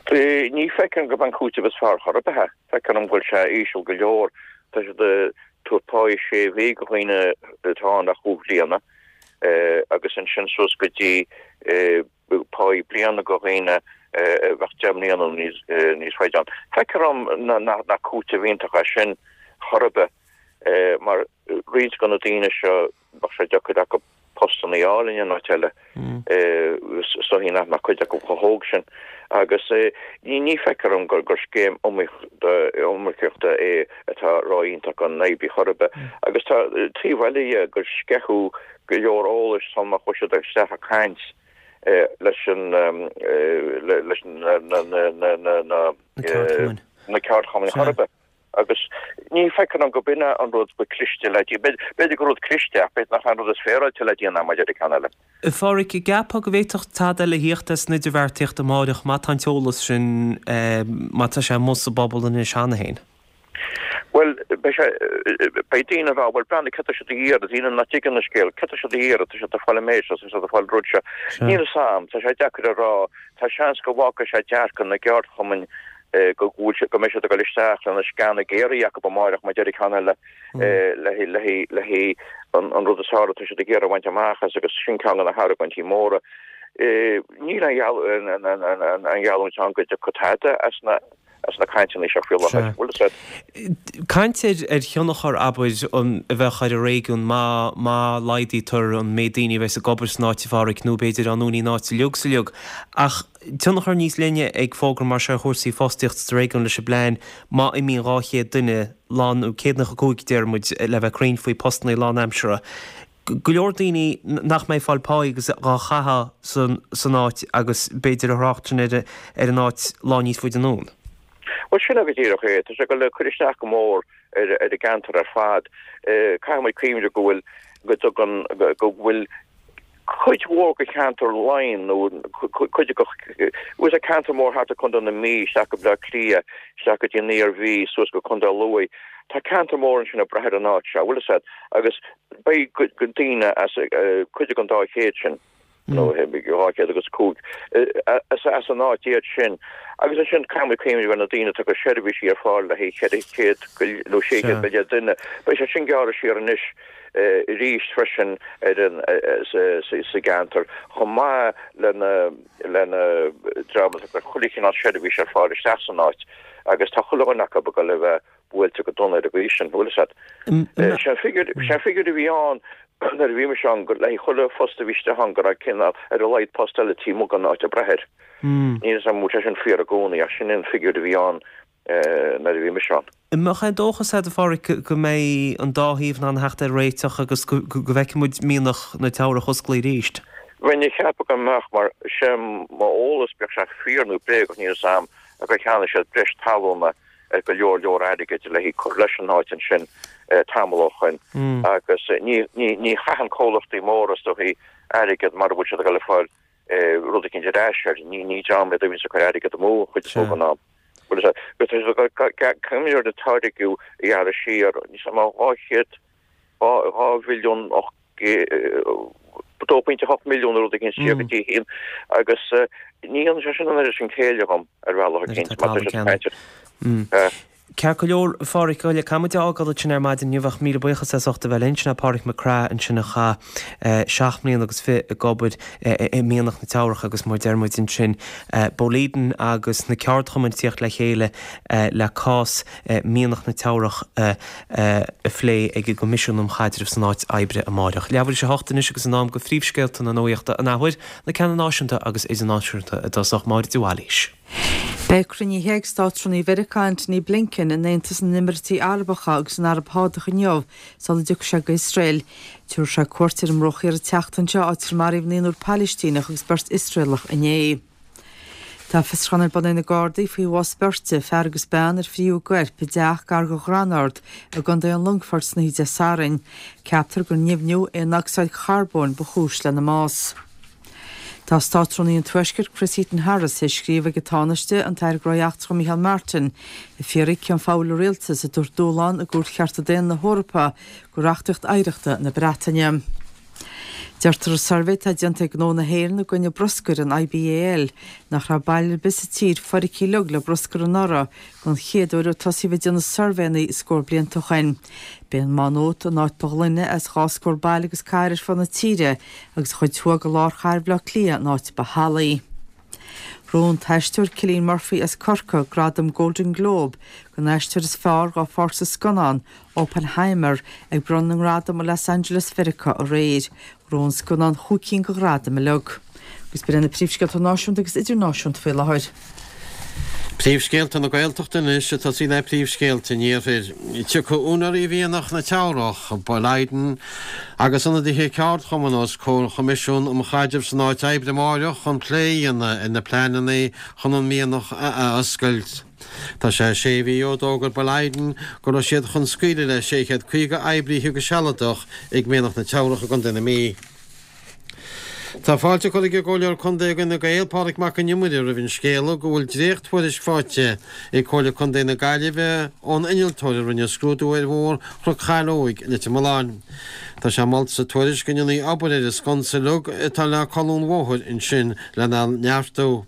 Ní feicim gurb an cúiteamh is fearr chor ar bith é. Feictear dom go bhfuil sé íseal go leor. Tá siad ag tabhairt páí sé mhí do dhaoine atá ann le chúig bhliana agus ansin suas go dtí páí bliana do dhaoine a bheadh deich mbliana nó níos faide ann. Feictear dom nach cúiteamh iontach é sin chor ar bith mar roinnt de na daoine seo bheadh sé deacair acu postanna a fháil in aon áit eile. Is dóichí nach mbeadh cuid acu chomh hóg sin. Agus ní feictear dom gur scéim iomarcaíochta é atá ró-iontach don oibrí chor ar bith. Agus tá taobh eile dhe gur sceitheadh go leor eolais sula chuaigh siad isteach ag caint leis an leis na na ceardchumainn chor ar bith. Agus ní feictear dom go b'in é an rud ba cliste le déanamh. B'fhéidir gur rud cliste ach b'fhéidir nach é an rud is féaráilte le déanamh maidir le ceann eile. A Pháraic, an gceapfá go bhféadfadh tada eile a thíocht as an idirbheartaíocht amáireach má tá an t-eolas sin, má tá sé amuigh sa bpobal anois cheana féin? Bhuel, beidh sé, beidh daoine ag rá, bhuel, breathnaigh, céard tá siad a iarraidh, daoine nach dtuigeann an scéal, céard tá siad a iarraidh, tá siad ag fáil an méid seo, tá siad ag fáil an rud seo. Níl fhios a'm, tá sé deacair a rá, tá seans go bhfágfaidh sé dearcadh na gceardchumainn go bhfuil siad, go mbeidh siad ag dul isteach lena sceana géaraithe acu amáireach má deir ceann eile le le le an an rud is fearr atá siad ag iarraidh a bhaint amach as agus sin ceann de na hargóintí móra. Níl an gheallúint ann go dtiocfaidh tada as na as na cainteanna seo faoi láthair. Bhfuil fhios a'd? Caint ar thionchar, abair, a bheadh ar an réigiún má má laghdaítear an méid daoine a bheas ag obair san áit, a Pháraic, nó b'fhéidir á ndúnadh an áit uilig is uilig. Ach tionchar níos leithne ag fógra mar seo ar chúrsaí fostaíochta sa réigiún leis an bplean má imíonn dhá chéad duine lán, nó céad nócha cúig deir muid le bheith cruinn faoi postanna lánaimseartha. Go leor daoine nach mbeidh ag fáil páí agus dhá chaitheamh san san áit agus b'fhéidir a thrácht sin ar ar an áit lá níos faide anonn. Bhuel, sin é go díreach é. Tá sé ag dul a cur isteach go mór ar ar an gceantar ar fad. Caithfidh muid cuimhneamh go bhfuil, go dtugann, go bhfuil cuid mhór de cheantar Laighean nó cuid de, bhuel tá ceantar mór thart ar Contae na Mí, isteach go Bleá Cliath, isteach go dtí an Iarmhí, suas go Contae Lú. Tá ceantar mór ansin ag brath ar an áit seo, bhfuil fhios a'd, agus beidh daoine as cuid den dá chéad sin. nó dhá chéad agus cúig as as an áit iad sin. Agus ansin caithfidh muid cuimhneamh ar na daoine atá ag cur seirbhísí ar fáil le haghaidh ceithre chéad nó sé chéad go leith duine. Beidh sé sin gearrtha siar anois arís freisin ar an sa gceantar chomh maith lena lena dream atá ag cur chuile chineál seirbhís ar fáil isteach san áit agus tá chuile dhuine acu ag dul a bheith buailte go dona ar an gcaoi sin, bhfuil fhios a'd. Sé an figiúr sé an figiúr a bhí ann nuair a bhí mise ann, go le haghaidh chuile phost a bhí istigh ann go raibh cineál ar a laghad post eile taobh amuigh den áit ag brath air. Níl fhios a'm an bhfuil sé sin fíor i gcónaí ach sin an figiúr a bhí ann nuair a bhí mise ann. An mbeadh aon dóchas a'd, a Pháraic, go mbeidh an dá thaobh in ann a theacht ar réiteach agus go bhfeicfidh muid mianach na Teamhrach osclaithe arís? Bheinn ag ceapadh go mbeadh mar sé m'eolas, bíodh sé fíor nó bréagach níl fhios a'm, gur cheannaigh siad breis talúna ar go leor leor airgid le haghaidh cur leis an áit ansin tamall ó shoin agus ní ní ní chaitheann comhlachtaí móra is dóichí airgead mara bhfuil siad ag dul a fáil rud éicint ar ais air. Ní ní dream iad a bhíonns ag cur airgead amú an chuid is mó den am. Bhuel is ea, caithfidh an táirgeadh a ghearradh siar níos mó dhá chéad dhá dhá mhilliún ocht dó pointe hocht milliún nó rud éicint siar go dtí haon agus ní dhéanann sé sin an oiread sin céille dhom ar bhealach éicint mar tá sé cainte. Ceart go leor, a Pháraic, caithfidh muid a fhágáil ansin ar maidin inniu ach míle buíochas as ucht a bheith linn. Sin é Páraic Mac Craith ansin a chaith seacht mbliana agus fiche ag obair i Mianach na Teamhrach agus mar deir muid ansin Boliden agus na ceardchumainn ag tíocht le chéile le cás Mianach na Teamhrach a phlé ag an gCoimisiún um Chaidreamh san Áit Oibre amáireach. Leathuair tar éis a hocht anois agus in am do phríomhscéalta na nuachta an athuair, na ceanna náisiúnta agus idirnáisiúnta i dtosach, Máire de Bhailís. Beidh cruinnithe ag Státrúnaí Mheiriceá Antony Blinken in Aontas na nÉimíríochtaí Arabacha agus san Araib Shádach inniu sula dtiocfaidh sé go hIosrael. Tabharfaidh sé cuairt ar an mBruach Thiar an tseachtain seo, áit ar maraíodh naonúr Palaistíneach agus beirt Iosraelach inné. Tá fiosrúchán ar bun ag na Gardaí faoi bhás beirte, fear agus bean, ar fríothadh a gcoirp i dteach gar do Dhromard i gContae an Longfoirt san oíche Dé Sathairn. Ceaptar gur nimhniú aonocsaíd charbóin ba chúis lena mbás. Tá Státrúnaí an Tuaiscirt Chris Heaton-Harris tar éis scríobh chuig an Tánaiste, an tAire Gnóthaí Eachtracha Micheál Martin, ag fiafraí cén fáth a bhfuil a rialtas ag tabhairt dúshlán i gCúirt Chearta Daonna na hEorpa do reachtaíocht oidhreachta na Breataine. Deirtear i suirbhé atá déanta ag Gnó na hÉireann i gcoinne bruscair, an IBAL, nach raibh baile ar bith sa tír foirgthe uilig le bruscar anuraidh don chéad uair ó tosaíodh ag déanamh suirbhéanna scór blianta ó shoin. B'é an Má Nuat an áit ba ghlaine as dhá scór baile agus cathair ar fud na tíre agus an chuid thuaidh de lár chathair Bhaile Átha Cliath an áit ba shalaí. Ghnóthaigh an t-aisteoir Cillian Murphy as Corcaigh gradam Golden Globe don aisteoir is fearr dá pháirt sa scannán Oppenheimer ag bronnadh na ngradam i Los Angeles Mheiriceá aréir. Ghnóthaigh an scannán chúig cinn de ghradaim uilig. Agus b'in iad na príomhscéalta náisiúnta agus idirnáisiúnta faoi láthair. Príomhscéalta na Gaeltachta anois ag tosaí le príomhscéalta an Iarthair. Tiocfaidh úinéirí Mhianach na Teamhrach, Boliden, agus ionadaithe ceardchumann os comhair an Choimisiúin um Chaidreamh san Áit Oibre amáireach chun plé a dhéanamh ar na pleananna chun an mianach a athoscailt. Tá sé sé mhí ó d'fhógair Boliden go raibh siad chun scaoileadh le sé chéad caoga oibrithe go sealadach ag Mianach na Teamhrach i gContae na Mí. Tá fáilte curtha ag an gComhairleoir Contae d'Fhine Gael, Pádraig Mac Con Iomaire roimh an scéala go bhfuil dréacht-thuairisc faighte ag Comhairle Contae na Gaillimhe ón innealtóir a rinne scrúdú ar Bhóthar Chnoc Chaileoig i Leitir Mealláin. Tá sé molta sa tuairisc go ndéanfaí obair ar an sconsa uilig atá le colún an bhóthair ansin lena neartú.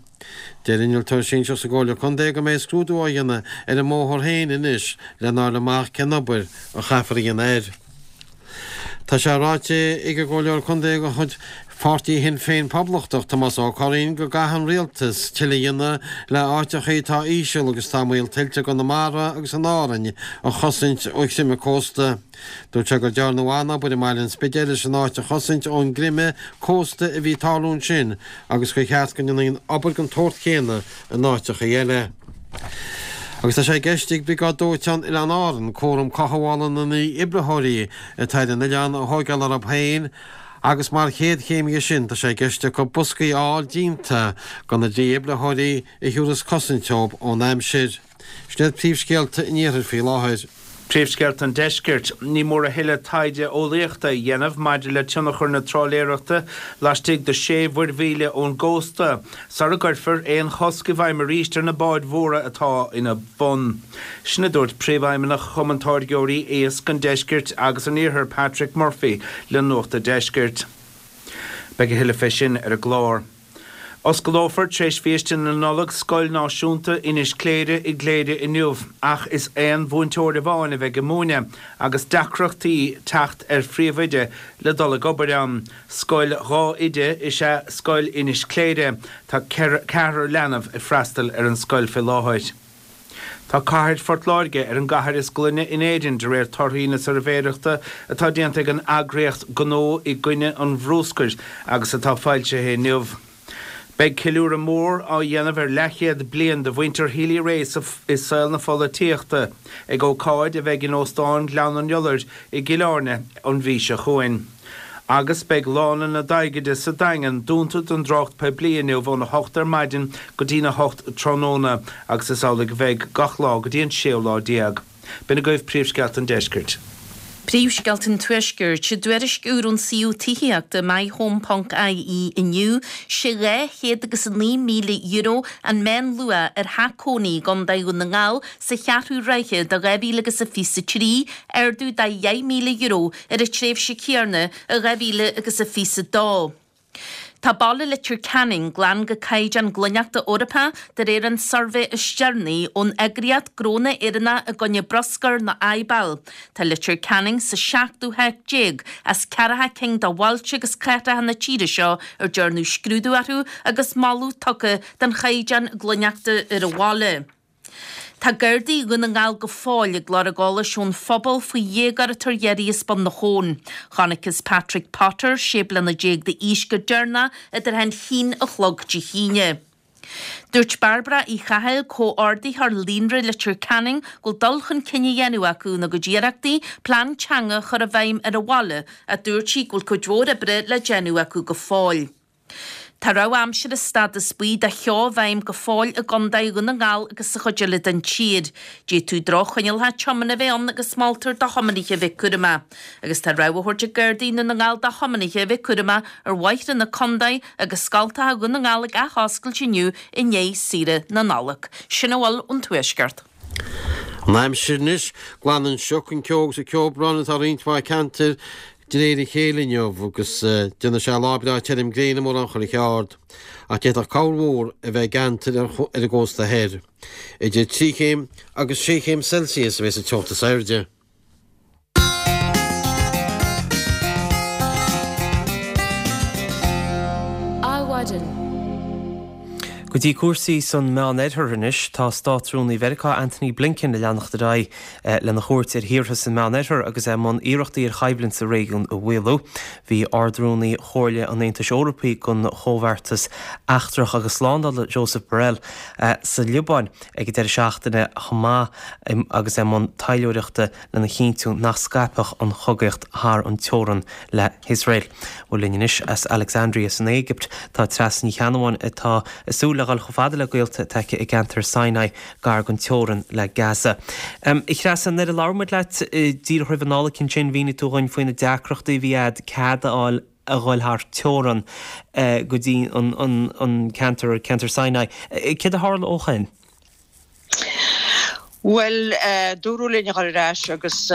Deir innealtóir sinsearach sa gComhairle Contae go mbeidh scrúdú á dhéanamh ar an mbóthar féin anois lena fháil amach cén obair a chaithfear a dhéanamh air. Tá sé ráite ag an gComhairleoir Contae de chuid Pháirtí Shinn Féin Poblachtach, Tomás Ó Curraoin, go gcaithfidh an Rialtas tuilleadh a dhéanamh le áiteacha atá íseal agus atá i mbaol tuilte i gConamara agus in Árainn a chosaint ó chreimeadh cósta. Dúirt sé go ndearnadh an-obair i mbaile an Spidéil leis an áit a chosaint ón gcreimeadh cósta a bhí ag tarlú ansin agus gur cheart go ndéanfaí an obair den tsórt chéanna in áiteacha eile. Agus tá sé i gceist ag Briogáid Dóiteáin Oileáin Árann cúram cothabhála na ndífhibritheoirí atá ar an oileán a thóigeáil orthu féin agus mar chéad chéim dhe sin tá sé i gceist acu boscaí a fháil déanta do na dífhibritheoirí a thiúrfas cosaint dóibh ón aimsir. Sin iad príomhscéalta an iarthair faoi láthair. Príomhscéalta an Deiscirt, Ní mór a thuilleadh taighde eolaíochta a dhéanamh maidir le tionchar na trálaeireachta laistigh de sé mhuirmhíle ón gcósta sara gcuirfear aon chosc i bhfeidhm arís ar na báid mhóra atá ina bhun. Sin a dúirt Príomhfheidhmeannach Chumann Táirgeoirí Iasc an Deiscirt agus an Iarthair Patrick Murphy le Nuacht an Deiscirt. Beidh a thuilleadh fé sin ar an gclár. Osclófar tar éis féasta na Nollag Scoil Náisiúnta Inis Cléire i gCléire inniu ach is aon mhúinteoir amháin a bheidh ag múineadh agus deacrachtaí teacht ar phríomhoide le dul ag obair ann. Scoil dhá oide is ea Scoil Inis Cléire. Tá ceathrar leanbh ag freastal ar an scoil fé láthair. Tá cathair Phort Láirge ar an gcathair is glaine in Éirinn de réir torthaí na suirbhéireachta atá déanta ag an eagraíocht Gnó i gCoinne an Bhrúscair agus atá foilsithe inniu. Beidh ceiliúradh mór á dhéanamh ar leathchéad bliain de mhuintir Healy-Rae i saol na pholaitíochta ag ócáid a bheidh in Óstán Ghleann an Iolair i gCill Airne an mhí seo chugainn. Agus beidh Lána na Daighide sa Daingean dúnta don dtrácht poiblí inniu óna hocht ar maidin go dtína hocht tráthnóna agus is amhlaidh a bheidh gach lá go dtí an séú lá déag. B'in agaibh príomhscéalta an deiscirt. Príomhscéalta an Tuaiscirt, I dtuairisc úr ón suíomh tithíochta myhome ponc ie inniu, sé dhá chéad agus a naoi míle euro an meánluach ar theach cónaí i gContae Dhún na nGall sa cheathrú ráithe de dhá mhíle agus a fiche a trí, ardú de dheich míle euro ar an tréimhse chéanna i dhá mhíle agus a fiche a dó. Tá baile Leitir Ceanainn glan go caighdeán glaineachta Eorpach de réir an suirbhé is deireanaí ón eagraíocht Gnónna Éireannacha i gcoinne Bruscair nó IBAL. Tá Leitir Ceanainn sa seachtú háit déag as ceathracha cinn de bhailte agus cathracha na tíre seo ar dearnadh scrúdú orthu agus moladh tugtha don chaighdeán glaineachta ar an bhaile. Tá Gardaí Dhún na nGall go fóill ag lorg eolais ón phobal faoi dhéagóir atá ar iarraidh as Bun na hAbhann. Chonacthas Patrick Potter, sé bliana déag d'aois go deireanach idir an haon a chlog Dé hAoine. Dúirt Bairbre Uí Chathail, comhordaitheoir Líonra Leitir Ceanainn, go bhfuil dul chun cinn á dhéanamh acu ina gcuid iarrachtaí plean teanga a chur i bhfeidhm ar an bhaile ach dúirt sí go bhfuil cuid mhór oibre le déanamh acu go fóill. Tá rabhadh aimsire stádas buí de cheo i bhfeidhm go fóill i gContae Dhún na nGall agus sa chuid eile den tír. D'fhéadfadh droch-choinníollacha tiomána a bheith ann agus moltar do thiománaithe a bheith cúramach. Agus tá rabhadh á thabhairt ag Gardaí Dhún na nGall do thiománaithe a bheith cúramach ar bhóithre na contae agus scoltacha Dhún na nGall ag athoscailt inniu i ndiaidh saoire na Nollag. Sin a bhfuil ón Tuaisceart. An aimsir anois, glanann sioc an ceo agus an ceobhrán atá roinnt mhaith ceantar de réir a chéile inniu agus déanfaidh sé lá breá tirim gréine mórán chuile cheard. Ach d'fhéadfadh corrmhúr a bheith i gceantair ar an gcósta thoir. Idir trí chéim agus sé chéim Celsius a bheas an teocht is airde. Adhmhaidin. Go dtí cúrsaí san Meánoirthear anois, tá Státrúnaí Mheiriceá Antony Blinken ag leanacht ar aghaidh lena chuairt ar thíortha san Meánoirthear agus é i mbun iarrachtaí ar choimhlint sa réigiún a mhaolú. Bhí Ard-Rúnaí Chomhairle an Aontais Eorpaigh don Chomhbheartas Eachtrach agus Slándála Josep Borrell sa Liobáin ag an deireadh seachtaine chomh maith agus é i mbun taidhleoireachta lena chinntiú nach scaipfeadh an chogaíocht thar an teorainn le hIosrael. Bhuel linn anois as Alexandria san Éigipt tá Treasa Ní Cheannabháin atá ag súil le dhul chomh fada le gaolta atá aici i gceantar Sinai gar don teorainn le Gaza. A Threasa, nuair a labhair muid leat díreach roimh an Nollaig ansin mhínigh tú dhúinn faoi na deacrachtaí a bhí agat cead a fháil a dhul thar teorainn go dtí an ceantar, ceantar Sinai. Céard a tharla ó shin? Bhuel, dúradh linn a dhul ar ais agus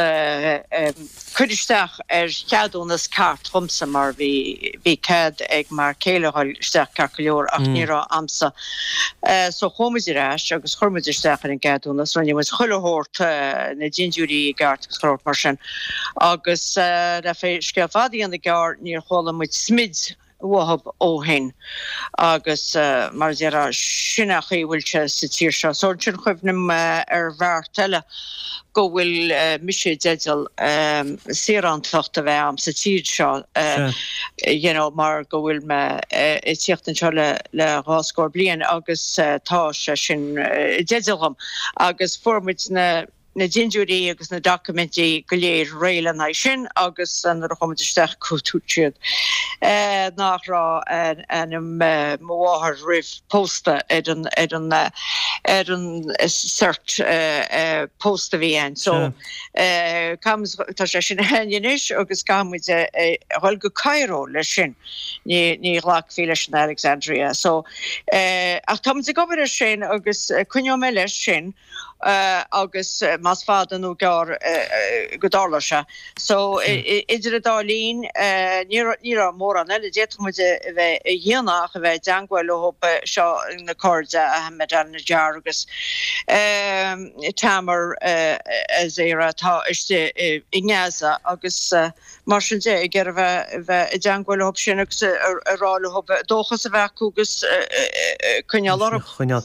cur isteach ar cheadúnas ceart dhomsa mar bhí bhí cead ag m'fhear céile a dhul isteach ceart go leor ach ní raibh a'msa. So chuaigh muid ar ais agus chuir muid isteach ar an gceadúnas, rinne muid chuile shórt, na dintiúirí i gceart agus chuile shórt mar sin agus le scéal fada a dhéanamh gearr níor chuala muid smid uathub ó shin agus mar a déarfá, sin an chaoi a bhfuil sé sa tír seo. So ansin chuimhnigh mé ar bheart eile go bhfuil mise i dteideal saorántacht a bheith a'm sa tír seo you know mar go bhfuil mé ag tíocht anseo le le dhá scór bliain agus tá sé sin i dteideal dhom agus fuair muid na na dintiúirí agus na doiciméidí go léir réidh lena aghaidh sin agus nuair a chuaigh muid isteach dúirt siad nach raibh ainm mo mháthar roimh pósta ar an ar an ar an cert pósta a bhí ann. So tá sé sin againn anois agus caithfidh muid a dhul go Cairo leis sin. Ní ní ghlacfaí leis in Alexandria. So ach tá muid ag obair air sin agus coinneoidh mé leis sin. agus más fada nó gearr go dtarlóidh sé. So idir an dá linn, ní raibh mórán eile a d'fhéadfadh muid a bheith a dhéanamh ach a bheith i dteangmháil leo seo, na cairde, Ahmed Al-Najjar agus Tamer Azera atá istigh i nGaza agus mar sin de, ag iarraidh a bheith i dteangmháil leo sin agus a rá leo dóchas a bheith acu agus coinneáil orthu. Coinneáil.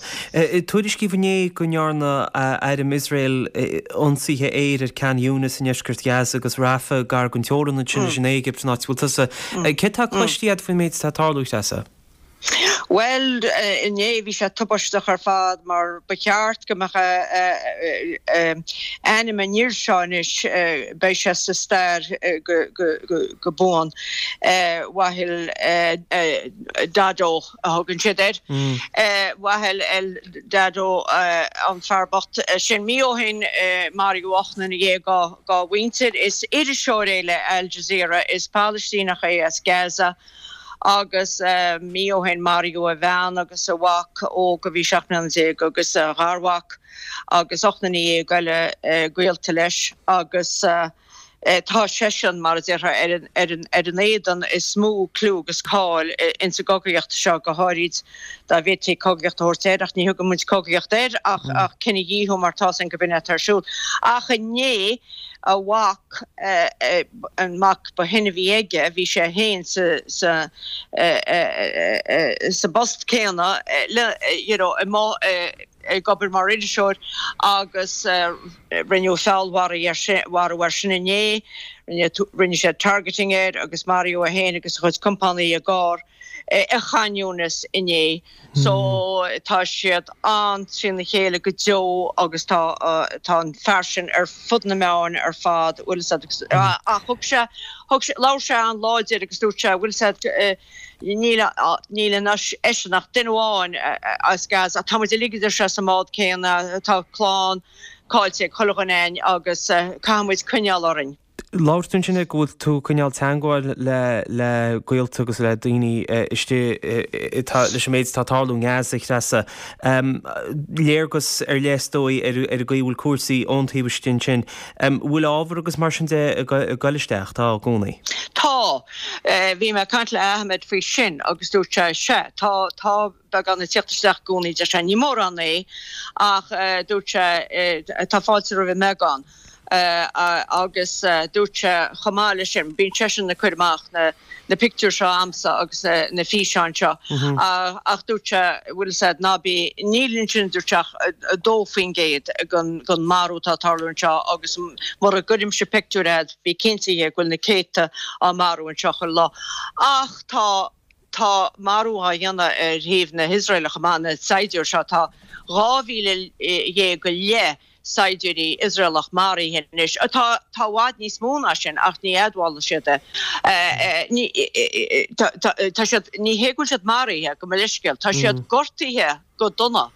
Tuairiscíodh inné go ndearna airm Iosrael ionsaithe aeir ar Khan Younis i ndeisceart Ghaza agus Rafah gar don teorainn ansin leis an Éigipt, an áit a bhfuil tusa. Céard atá cloiste agat faoin méid atá ag tarlú, Treasa? Bhuel, inné bhí sé tubaisteach ar fad mar ba cheart go mbeadh ainm an fhir seo anois, beidh sé sa stair go buan, Wael Dahdouh a thugann siad air. Wael El Dahdouh an fear bocht sin. Mí ó shin maraíodh ocht nduine dhéag dá mhuintir. Is iriseoir é le Al Jazeera, is Palaistíneach é as Gaza. Agus mí ó shin maraíodh a bhean agus a mhac óg a bhí seacht mbliana déag agus a gharmhac agus ocht nduine dhéag eile gaolta leis agus tá seisean, mar a déarfá, ar an ar an ar an éadan is mó clú agus cáil ins an gcogaíocht seo, go háirid dá bhféadfaí cogaíocht a thabhairt air, ach ní thugann muid cogaíocht air ach ach cinedhíothú mar tá's againn gurb in atá ar siúl. Ach inné a mhac, an mac ba shine a bhí aige, bhí sé féin sa sa sa bpost céanna le you know ag obair mar iriseoir agus rinneadh feallmharú air sin marú air sin inné, rinne siad targeting air agus maraíodh é féin agus a chuid compánaigh i gcarr i Khan Younis inné. So tá siad an-trína chéile go deo agus tá tá an fear sin ar fud na meáin ar fad, bhfuil fhios agat, ach thug sé, thug sé, labhair sé an-láidir agus dúirt sé, bhfuil fhios agat, níl níl eisean ach duine amháin as Gaza, tá muid uilig a deir sé sa mbád céanna, tá clann caillte ag chuile dhuine againn agus caithfidh muid coinneáil orainn. Labhair tú ansin go bhfuil tú ag coinneáil teagmháil le le gaolta agus le daoine istigh leis an méid atá ag tarlú i nGaza, a Threasa. Léargas ar leith is dóigh ar ar an gcaoi a bhfuil cúrsaí ón taobh istigh ansin. Bhfuil ábhar agus mar sin de ag goil isteach? Tá i gcónaí. Tá. Bhí mé ag caint le Ahmed faoi sin agus dúirt sé, sea, tá, tá beagán ag tíocht isteach i gcónaí, deir sé, ní mórán é ach dúirt sé, tá fáilte roimh an mbeagán. Agus dúirt sé chomh maith leis sin, bíonn seisean ag cur amach na na pictiúir seo a'msa agus na na físeáin seo ach dúirt sé, bhfuil fhios a'd, ná bí, níl ansin dúirt sé ach a dó faoin gcéad den den marú atá ag tarlú anseo agus mura gcuirimse pictiúir a'd bí cinnte go bhfuil na céadta á marú anseo chuile lá. Ach tá tá marú á dhéanamh ar thaobh na hIosraeile chomh maith, na saighdiúir seo, tá dhá mhíle dhéag go leith saighdiúirí Iosraelach maraithe anois. Tá tá i bhfad níos mó ná sin ach ní admhálfaidh siad é. Ní tá siad ní hé go bhfuil siad maraithe, gabh mo leithscéal, tá siad gortaithe go dona.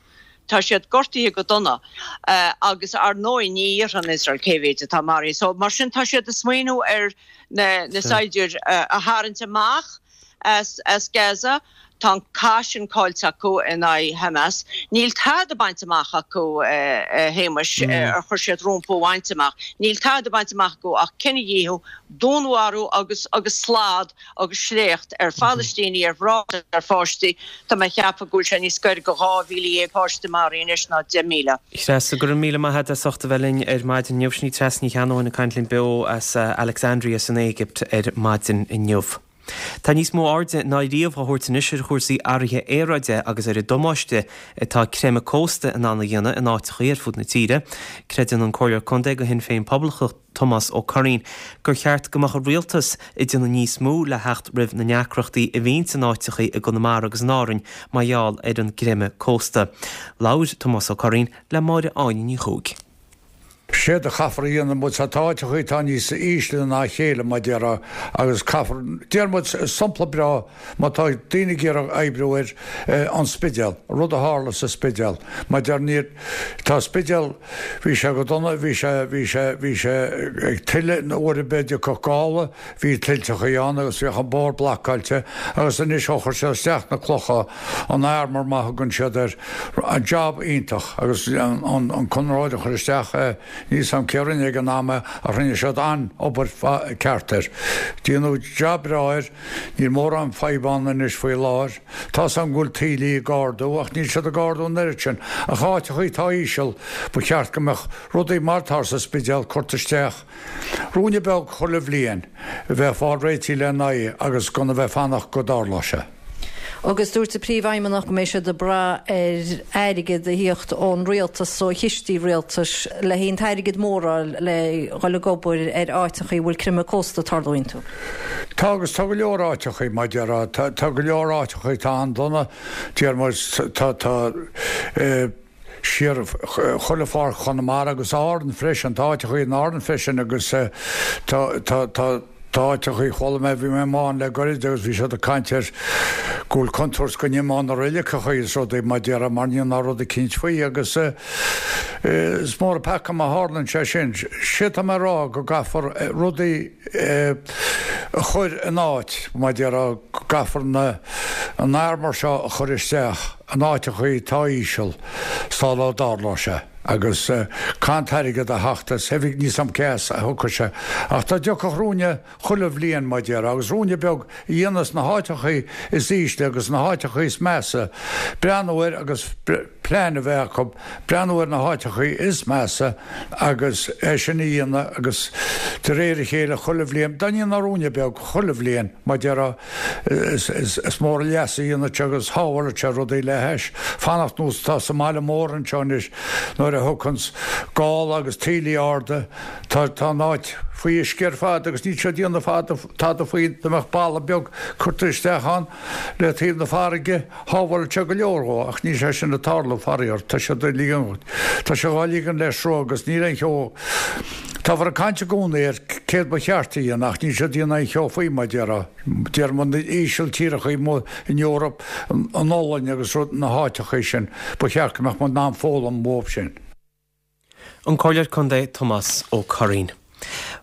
Tá siad gortaithe go dona agus ar ndóigh ní dhéarfaidh Iosrael cé mhéid atá maraithe. So mar sin tá siad ag smaoineamh ar na na saighdiúir a tharraingt amach as as Gaza. Tá an cath sin caillte acu in aghaidh Hamas. Níl tada bainte amach acu, a Shéamais, ar chuir siad rompu a bhaint amach. Níl tada bainte amach acu ach cinedhíothú, dúnmharú agus agus slad agus sléacht ar Phalaistínigh, ar mhná agus ar pháistí. Tá mé ag ceapadh go bhfuil sé níos gaire go dhá mhíle dhéag páiste maraithe anois ná deich míle. Treasa, go raibh míle maith agat as ucht a bheith linn ar maidin inniu. Sin í Treasa Ní Cheannabháin ag caint linn beo as Alexandria san Éigipt ar maidin inniu. Tá níos mó airde ná riamh á thabhairt anois ar chúrsaí athraithe aeráide agus ar an damáiste atá creimeadh cósta in ann a dhéanamh in áiteachaí ar fud na tíre. Creideann an Comhairleoir Contae do Shinn Féin Poblachtach Tomás Ó Curraoin gur cheart go mbeadh an Rialtas ag déanamh níos mó le theacht roimh na ndeacrachtaí a bhíonns in áiteachaí i gConamara agus in Árainn mar gheall ar an gcreimeadh cósta. Labhair Tomás Ó Curraoin le Máire Áine Ní Chuaig. Séard a chaithfear a dhéanamh muid tá áiteachaí atá níos ísle ná a chéile mar déarfá agus caithfear, deir muid sampla breá má tá daoine ag iarraidh oibriú ar an Spidéal, rud a tharla sa Spidéal mar deir níor, tá Spidéal, bhí sé go dona, bhí sé, bhí sé, bhí sé ag tuile uair ar bith a dtiocfadh gála, bhí tuilteachaí ann agus bhíodh an bóthar blocáilte agus anois ó chuir siad isteach na clocha, an armour mar a thugann siad air, job iontach agus an, an conraitheoir a chuir isteach é, Níl 's a'm cé a rinne ag an am é ach rinne siad an-obair ceart air. Déanadh jab breá air, níl mórán fadhb ann anois faoi láthair. Tá 's a'm go bhfuil taoillí ag ardú ach níl siad ag ardú an oiread sin. Ach áiteachaí atá íseal, ba cheart go mbeadh rudaí mar atá sa Spidéal curtha isteach. Ruainne beag chuile bhliain, a bheith ag fáil réitithe lena aghaidh agus gan a bheith ag fanacht go dtarlóidh sé. Agus dúirt an príomhfheidhmeannach go mbeidh siad ag brath ar airgead a thíocht ón rialtas ó chistí rialtais le haon t-airgead mór a fháil le dhul ag obair ar áiteachaí a bhfuil creimeadh cósta ag tarlú iontu. Tá agus tá go leor áiteachaí mar déarfá, tá tá go leor áiteachaí tá an-dona, deir muid, tá tá eh, siar chuile pháirc Chonamara agus Árann freisin, tá áiteachaí in Árann freisin agus eh, tá tá tá tá áiteachaí chuala mé bhí mé i Maigh Eo le goirid agus bhí siad ag caint ar go bhfuil contúirt go n-imeodh na reiligeachaí is rudaí mar déarfá mar níl ná rud eicínt faoi agus eh, eh, is mór an peaca má tharlaíonn sé sin. Sé tá mé a rá go gcaithfear eh, rudaí eh, a chur in áit mar déarfá go gcaithfear na an armor seo a chur isteach in áiteachaí atá íseal sula dtarlóidh sé agus caithfidh an t-airgead a theacht as oifig níl 's a'm cé as a thiocfadh sé ach dá dtiocfadh ruainne chuile bhliain mar déarfá agus ruainne beag a dhéanamh sna háiteachaí is ísle agus na háiteachaí is measa breathnú air agus plean a bheith acu breathnú ar na háiteachaí is measa agus é sin a dhéanamh agus de réir a chéile chuile bhliain dá ndéanfá ruainne beag chuile bhliain mar déarfá is mór an leas a dhéanfadh sé agus shábhálfadh sé rudaí le hais fanacht nós atá sa mbaile mór anseo anois nuair a thiocfanns gála agus taoillí arda tá tá an áit faoi uisce ar fad agus níl siad ag déanamh fada tada faoi dá mbeadh balla beag curtha isteach ann le taobh na farraige shábhálfadh sé go leor dhó ach níl sé sin ag tarlú faraor tá sé ag ligean tá sé dhá ligean le sruth agus níl aon cheo Táthar ag caint i gcónaí ar céard ba cheart a dhéanamh ach níl siad ag déanamh aon cheo faoi mar déarfá. Deir muid na hÍsiltíreachaí amuigh in Eoraip, an Ollainn agus rud na háiteachaí sin, ba cheart go mbeadh muid in ann foghlaim uathu sin. An Comhairleoir Contae Tomás Ó Curraoin.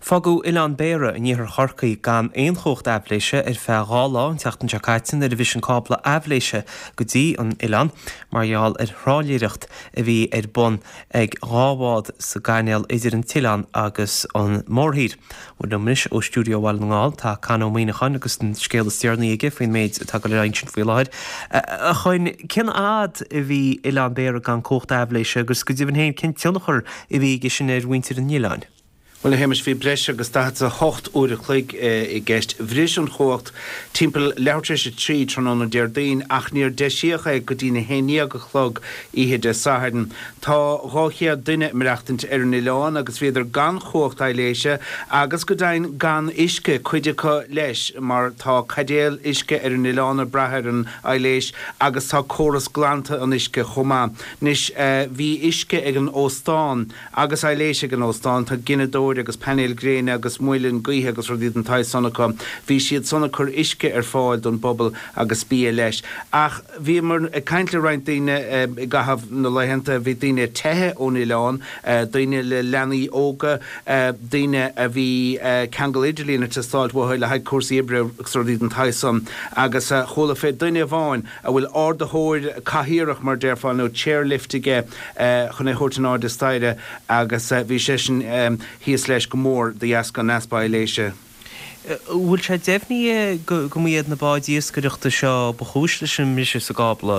Fágadh Oileán Béarra in iarthar Chorcaí gan aon chumhacht aibhléise ar feadh dhá lá an tseachtain seo caite nuair a bhris an cábla aibhléise go dtí an oileán mar gheall ar thrálaeireacht a bhí ar bun ag dhá bhád sa gcainéal idir an t-oileán agus an mórthír. Bhuel liom anois ó stiúideo Bhaile na nGall tá Con Ó Muíneacháin agus an scéal is deireanaí aige faoin méid atá ag dul ar aghaidh ansin faoi láthair. A Choinn, cén fhad a bhí Oileán Béarra gan cumhacht aibhléise agus go deimhin féin cén tionchar a bhí aige sin ar mhuintir an oileáin? Bhuel, a Shéamais, bhí breis agus daichead is a hocht uair a chloig i gceist. Bhris an chumhacht timpeall leathuair tar éis a trí tráthnóna Déardaoin ach níor deisíodh é go dtí'n a haon déag a chlog oíche Dé Sathairn. Tá dhá chéad duine ag maireachtaint ar an oileán agus bhíodar gan chumhacht aibhléise agus go deimhin gan uisce, cuid acu leis, mar tá caidéal uisce ar an oileán ag brath ar an aibhléis agus tá córas glanta an uisce chomh maith. Anois, bhí uisce ag an óstán. Agus aibhléis ag an óstán, tá gineadóir agus painéil gréine agus muileann gaoithe agus rudaí den tsaghas san acu. Bhí siad san ag cur uisce ar fáil don bpobal agus bia leis. Ach bhíomar ag caint le roinnt daoine i gcaitheamh na laethanta, bhí daoine ag teitheadh ón oileán, daoine le leanaí óga, daoine a bhí ceangal idirlín ag teastáilt uathu le haghaidh cúrsaí oibre agus rudaí den tsaghas san. Agus chuala fé duine amháin a bhfuil ardaitheoir cathaoireach, mar déarfá, nó chairlift aige chun é a thabhairt in airde staighre agus bhí seisean thíos leis go mór de dheasca an easpa aibhléise. Bhfuil sé deimhnithe go mba iad na báid iascaireachta seo ba chúis leis an mbriseadh sa gcábla,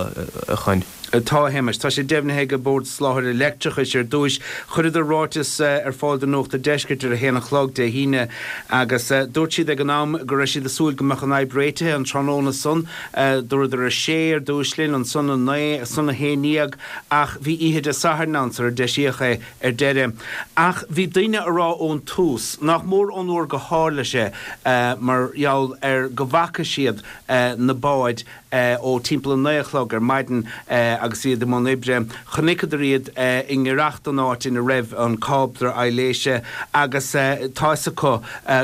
a Choinn? Tá, a Shéamais. Tá sé deimhnithe ag an Bord Soláthair Leictreachais ar dtúis. Chuireadar ráiteas ar fáil do Nuacht an Deiscirt ar a haon a chlog Dé hAoine agus dúirt siad ag an am go raibh siad ag súil go mbeadh an fhadhb réitithe an tráthnóna san. Dúradar a sé ar dtúis linn, ansan a naoi, ansan a haon déag ach bhí oíche Dé Sathairn ann sular deisíodh é ar deireadh. Ach bhí daoine a rá ón tús, nach mór ón uair go tharla sé, mar gheall ar go bhfaca siad na báid ó timpeall a naoi a chlog ar maidin agus iad i mbun oibre. Chonaiceadar iad i ngiorracht don áit ina raibh an cábla aibhléise agus tá fhios acu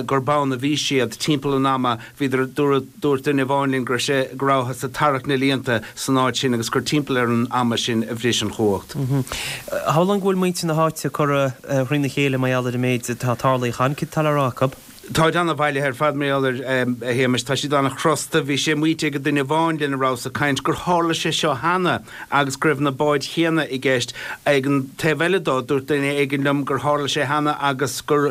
gurb ann a bhí siad timpeall an ama. Bhíodar, dúirt duine amháin linn go raibh sé, go rabhthas ag tarrac na líonta san áit sin agus gur timpeall ar an ama sin a bhris an chumhacht. Shamhlóinn go bhfuil muintir na háite curtha thrína chéile mar gheall ar an méid atá tarlaithe. Cad tá le rá acu? Táid ana-bhailithe ar fad mar gheall air, a Shéamais. Tá siad ana-chrosta. Bhí sé maíte ag duine amháin lena rabhas ag caint gur tharla sé seo cheana agus go raibh na báid chéanna i gceist. Ag an taobh eile dó, dúirt duine éigin liom gur tharla sé cheana agus gur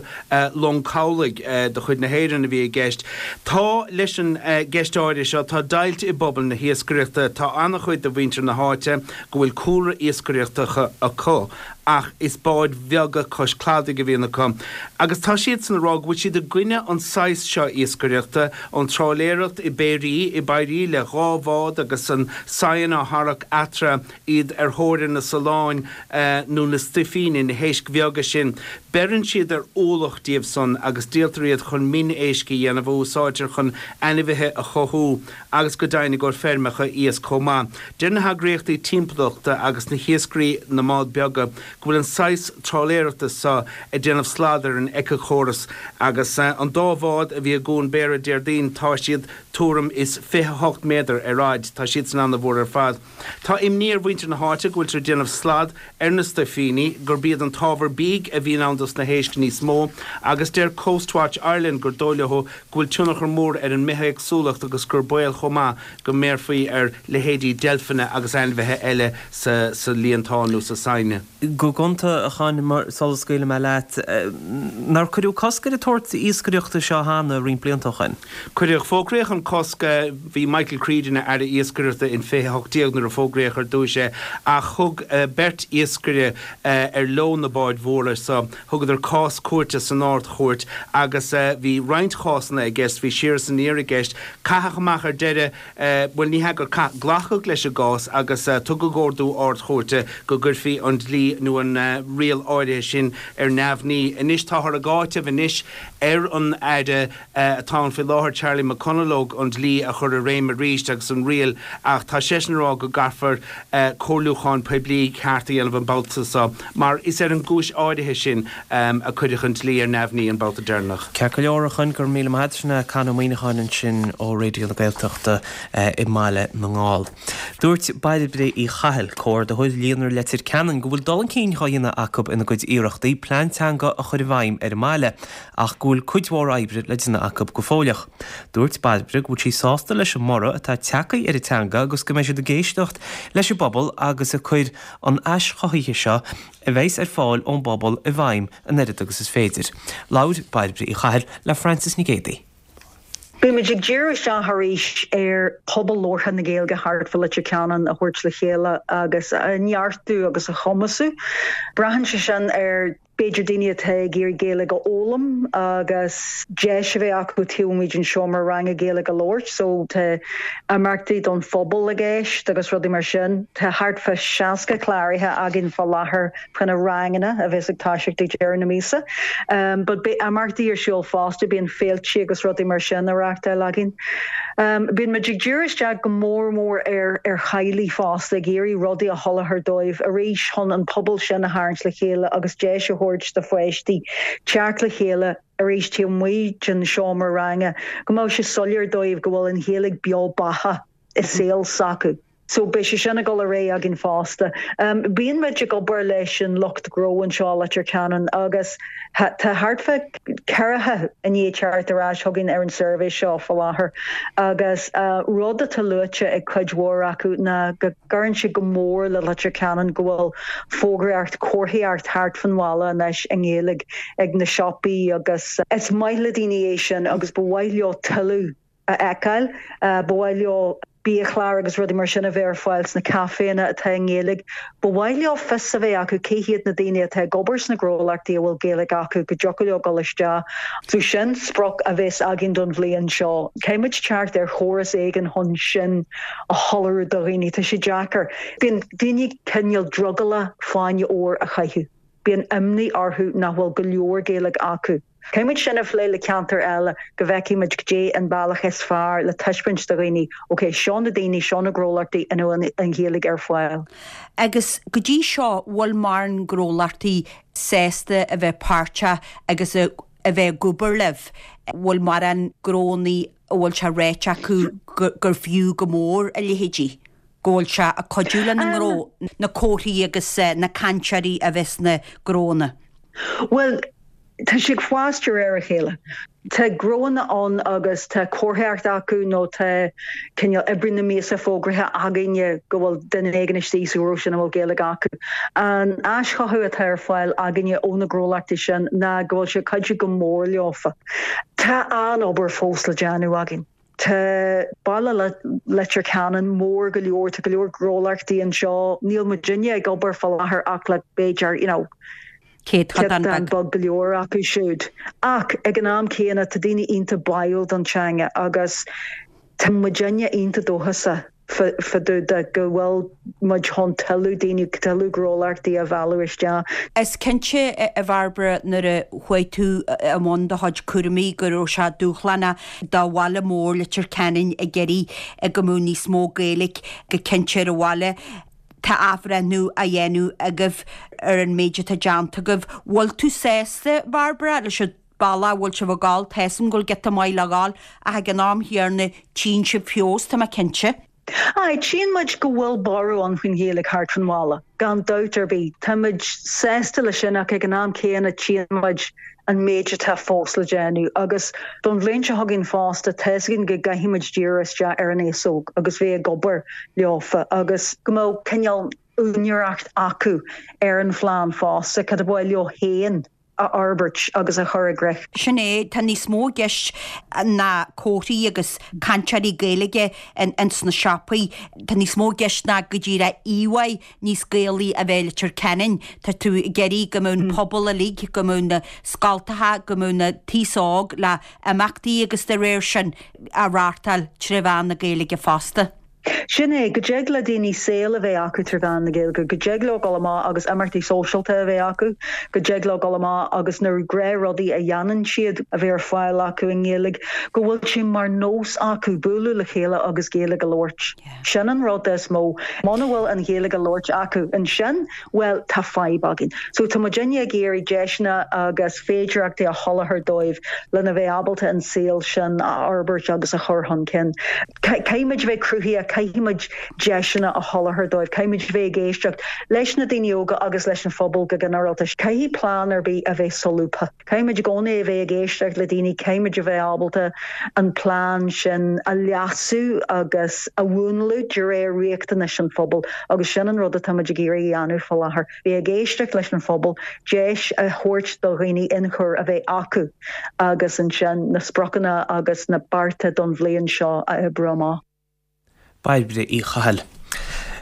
long cabhlaigh de chuid na hÉireann a bhí i gceist. Tá, leis an gceist áirithe seo, tá deighilt i bpobal na hiascaireachta. Tá ana-chuid de mhuintir na háite go bhfuil cúlra iascaireachta acu ach is báid bheaga cois cladaigh a bhíonn acu agus tá siadsan ag rá go bhfuil siad i gcoinne Rinne an saghas seo iascaireachta, an trálaeireacht i bpéirí, i bpéirí le dhá bhád agus an saighean á tharrac eatarthu, iad ar thóir na saláin nó na stuifíní, na héisc bheaga sin. Beireann siad ar ualach díobh san agus díoltar iad chun min-éisc a dhéanamh a úsáidtear chun ainmhithe a chothú agus go deimhin i gcomhair feirmeacha iasc chomh maith. Deir na heagraíochtaí timpeallachta agus na hiascairí na mbád beaga go bhfuil an saghas trálaeireachta seo ag déanamh slad ar an éiceachóras agus an dá bhád a bhí i gCuan Béarra Déardaoin tá siad tuairim is fiche hocht méadar ar fhaid. Tá siadsan ana-mhór ar fad. Tá imní ar mhuintir na háite go bhfuiltear ag déanamh slad ar na stuifíní, gurb iad an t-ábhar bídh a bhíonn ann dos na héisc níos mó agus deir Coastwatch Ireland gur dóigh leo go bhfuil tionchar mór ar an mbithéagsúlacht agus gur baol chomh maith go mbéarfaí ar leithéidí deilfeanna agus ainmhithe eile sa líontán nó sa saighne. Go gonta, a Choinn, mar sula scaoilfidh mé leat, nár cuireadh cosc ar an tsórt iascaireachta seo cheana roinnt blianta ó shin? Cuireadh. Fógraíodh an cosc, bhí Michael Creed ina Aire Iascaireachta in fiche a hocht déag nuair a fógraíodh ar dtúis é, ach thug beirt iascaire ar leo na báid mhóra so, thugadar cás cúirte san Ard-Chúirt agus bhí roinnt chásanna i gceist, bhí siar is aniar i gceist. Caitheadh amach ar deireadh, bhuel ní hea gur caitheadh, glacadh leis an gcás agus tugadh ordú Ard-Chúirte go gcuirfí an dlí nó an riail áirithe sin ar neamhní. Anois táthar ag áiteamh anois ar an Aire atá ann faoi láthair, Charlie McConalogue, an dlí a chur i réim arís agus an riail ach tá seisean ag rá go gcaithfear comhairliúchán poiblí ceart a dhéanamh an babhta seo mar is ar an gcúis áirithe sin a cuireadh an dlí ar neamhní an babhta deireanach. Ceart go leor, a Choinn, go raibh míle maith agat. Sin é Conn Ó Muíneacháin ansin ó Raidió na Gaeltachta i mBaile na nGall. Dúirt Bairbre Uí Chathail, Comhordaitheoir Líonra Leitir Ceanainn, go bhfuil dul chun cinn dhá dhéanamh acu ina gcuid iarrachtaí plean teanga a chur i bhfeidhm ar an mbaile ach go bhfuil cuid mhór oibre le déanamh acu go fóilleach. Dúirt Bairbre go bhfuil sí sásta leis an mborradh atá tagtha ar an teanga agus go mbeidh siad ag éisteacht leis an bpobal agus ag cur an ais chothaithe seo a bheas ar fáil ón bpobal i bhfeidhm an oiread agus is féidir. Labhair Bairbre Uí Chathail le Frances Nic Géadaigh. Beimid ag díriú isteach arís ar pobal labhartha na Gaeilge thart fá Leitir Ceanainn a thabhairt le chéile agus a neartú agus a chumasú. Braitheann sé sin ar b'fhéidir daoine atá ag iarraidh Gaeilge a fhoghlaim agus deis a bheith acu taobh amuigh den seomra ranga Gaeilge a labhairt, so tá imeachtaí don phobal i gceist agus rudaí mar sin. Tá thart fá seasca cláraithe againn fá láthair fá na ranganna a bheas ag toiseacht ag deireadh na míosa. But beidh imeachtaí ar siúl fosta, bíonn féilte agus rudaí mar sin á reáchtáil againn. Bíonn muid ag díriú isteach go mór mór ar ar theaghlaigh fosta, ag iarraidh rudaí a sholáthar dóibh arís chun an pobal sin a tharraingt le chéile agus deis a thabhairt do pháistí teacht le chéile arís taobh amuigh den seomra ranga, go mbeadh sé soiléir dóibh go bhfuil an Ghaeilge beo beathach i saol s'acu. So beidh sé sin ag dul ar aghaidh againn fosta. Bíonn muid ag obair leis an lucht gnó anseo i Leitir Ceanainn agus tá thart fá ceathracha i ndiaidh teacht ar ais chugainn ar an suirbhé seo faoi láthair agus rud atá luaite ag cuid mhór acu ná go gcuireann sé go mór le Leitir Ceanainn go bhfuil fógraíocht, comharthaíocht thart fan bhaile anois i nGaeilge ag na siopaí agus is maith le daoine é sin agus ba mhaith leo tuilleadh a fheiceáil. Ba mhaith leo biachláir agus rudaí mar sin a bheith ar fáil sna caiféanna atá i nGaeilge. Ba mhaith leo fios a bheith acu cé hiad na daoine atá ag obair sna gnólachtaí a bhfuil Gaeilge acu, go dtiocfadh leo dul isteach. So sin sprioc a bheas againn don bhliain seo. Caithfidh muid teacht ar chóras éigin chun sin a shoiléiriú do dhaoine. Tá sé deacair. Bíonn daoine cineál drogallach fáinne óir a chaitheamh. Bíonn imní orthu nach bhfuil go leor Gaeilge acu. Caithfidh muid sin a phlé le ceantair eile go bhfeicfidh muid goidé an bealach is fearr le taispeáint do dhaoine, ok, seo na daoine, seo na gnólachtaí ina bhfuil an Ghaeilge ar fáil. Agus go dtí seo, bhfuil mórán gnólachtaí sásta a bheith páirteach agus a bheith ag obair libh? Bhfuil mórán gnónnaí a bhfuil sé ráite acu gur fiú go mór a leithéidí? Go bhfuil sé ag cuidiú lena ngnó, na comharthaí agus na cainteoirí a bheith sna gnónna? Bhuel, tá sé ag fás de réir a chéile. Tá gnónna ann agus tá comharthaíocht acu nó tá cineál oibrí na míosa fógraithe againne go bhfuil duine éigin istigh sa ghnó sin a bhfuil Gaeilge acu. An aischothú atá ar fáil againne ó na gnólachtaí sin ná go bhfuil sé ag cuidiú go mór leofa. Tá an-obair fós le déanamh againn. Tá baile Leitir Ceanainn mór go leor, tá go leor gnólachtaí anseo, níl muidinne ag obair faoi láthair ach le b'fhéidir, you know, Céatadán beag go leor acu siúd. Ach ag an am céanna tá daoine iontach báúil don teanga agus tá muidinne iontach dóchasach fá dtaobh de go bhfuil muid chun tuilleadh daoine, tuilleadh gnólachtaí a mhealladh isteach. Is cinnte, a Bhairbre, nuair a chuaigh tú i mbun do chuid cúraimí go raibh sé dúshlánach do bhaile mór Leitir Ceanainn ag iarraidh go mbeadh níos mó Gaeilge go cinnte ar an bhaile. Tá athbhreithniú á dhéanamh agaibh ar an méid atá déanta agaibh. Bhfuil tú sásta, Bhairbre, leis an bealach a bhfuil sibh ag gabháil? Tá 'fhios a'm go bhfuil giota maith le ghabháil ach ag an am chéanna tchíonn sibh feabhas, tá mé cinnte. Aye, tchíonn muid go bhfuil borradh ann faoin Ghaeilge thart fan bhaile, gan dabht ar bith. Tá muid sásta leis sin ach ag an am céanna tchíonn muid an méid atá fós le déanamh agus don bhliain seo chugainn fosta tá 'fhios againn go gcaithfidh muid díriú isteach ar an aos óg agus bheith ag obair leofa agus go mbeadh cineál úinéireacht acu ar an phlean fosta, cad ba mhaith leo féin a fhorbairt agus a chur i gcrích. Sin é, tá níos mó i gceist ná comharthaí agus cainteoirí Gaeilge ins na siopaí. Tá níos mó i gceist ná go díreach íomhá níos Gaelaí a bheith i Leitir Ceanainn. Tá tú ag iarraidh go mbeadh an pobal uilig, go mbeadh na scoltacha, go mbeadh na t-aos óg le imeachtaí agus dá réir sin á reáchtáil tré mheán na Gaeilge fosta. Sin é, go dtig le daoine saol a bheith acu trí mheán na Gaeilge, go dtig leo dul amach agus imeachtaí sóisialta a bheith acu, go dtig leo dul amach agus na gnáthrudaí a dhéanann siad a bheith ar fáil acu i nGaeilge, go bhfuil sé mar nós acu bualadh le chéile agus Gaeilge a labhairt. Sin an rud is mó. Muna bhfuil an Ghaeilge á labhairt acu ansin, bhuel, tá fadhb againn. So tá muidinne ag iarraidh deiseanna agus féidearthachtaí a sholáthar dóibh lena bheith ábalta an saol sin a fhorbairt agus a chur chun cinn. Caithfidh muid a bheith cruthaitheach, caithfidh muid deiseanna a sholáthar dóibh, caithfidh muid a bheith ag éisteacht leis na daoine óga agus leis an phobal go ginearálta. Caithfidh plean ar bith a bheith solúbtha. Caithfidh muid i gcónaí a bheith ag éisteacht le daoine, caithfidh muid a bheith ábalta an plean sin a leasú agus a mhúnlú de réir riachtanais an phobail agus sin an rud atá muid ag iarraidh a dhéanamh faoi láthair, bheith ag éisteacht leis an phobal, deis a thabhairt do dhaoine ionchur a bheith acu agus ansin na spriocanna agus na bearta don bhliain seo a oibriú amach. Bairbre Uí Chathail.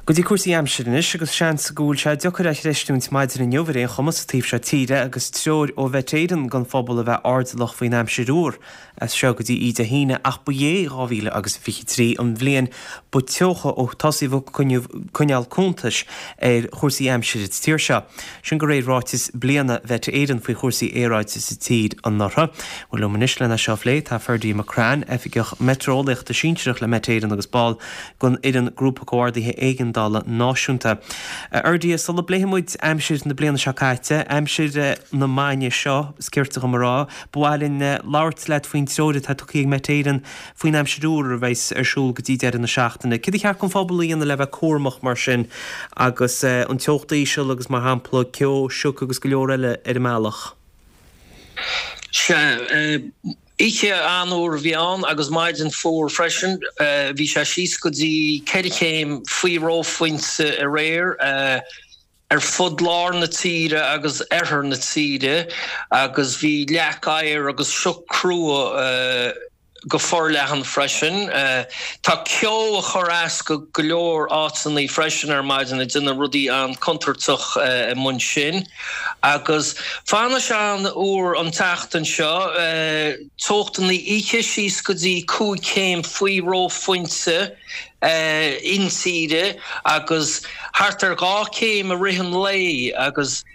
Go dtí cúrsaí aimsire anois agus seans go bhfuil sé deacair a chreistiúint maidin inniu ar aon chuma sa taobh seo tíre agus treoir ó Mhet Éireann don phobal a bheith airdeallach faoin aimsir fhuar as seo go dtí Dé hAoine ach ba é dhá mhíle agus fiche trí an bhliain ba teocha ó tosaíodh ag coinneáil cuntais ar chúrsaí aimsire sa tír seo. Sin de réir ráiteas bliana Mhet Éireann faoi chúrsaí aeráide sa tír anuraidh. Bhuel liom anois lena seo a phlé tá Ferdia McCrann, Oifigeach Meitéareolaíochta Sinsearach le Met Éireann agus ball den fhoireann Grúpa Comhordaithe Éigeandála Náisiúnta. A Fherdia, sula bpléifidh muid aimsir na bliana seo caite, aimsir na maidine seo, is cirte dhom a rá, ba mhaith linn labhairt leat faoin treoir atá tugtha ag Met Éireann faoin aimsir fhuar a bheas ar siúl go dtí deireadh na seachtaine. Céard a cheart don phobal a dhéanamh le bheith cúramach mar sin agus an teocht íseal agus mar shampla ceo, sioc agus go leor eile ar an mbealach? Sea, oíche an-fhuar a bhí ann agus maidin fuar freisin. Bhí sé síos go dtí ceithre chéim faoi reophointe aréir ar fud lár na tíre agus oirthear na tíre agus bhí leac oighir agus sioc crua go forleathan freisin. Tá ceo ag cur as go go leor áiteanna freisin ar maidin ag déanamh rudaí an-chontúirteach amuigh ansin. Agus fanfaidh sé an-fhuar an tseachtain seo, teochtanna oíche síos go dtí cúig chéim faoi reophointe intíre agus thart ar dhá chéim i rith an lae agus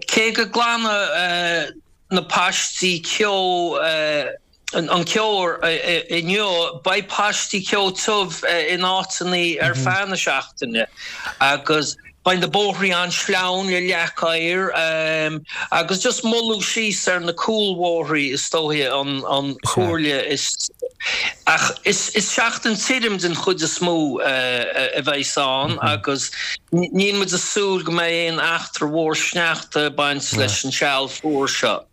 cé go nglanfaidh na paistí ceo an ceo inniu, beidh paistí ceo tiubh in áiteanna ar feadh na seachtaine agus beidh na bóithrí an-sleamhain le leac oighir agus just moilliú síos ar na cúlbhóithrí is dóiche an chomhairle is ach is seachtain tirim den chuid is mó a bheas ann agus níl muid ag súil go mbeidh aon eachtra mhór sneachta ag baint leis an seal fuar seo.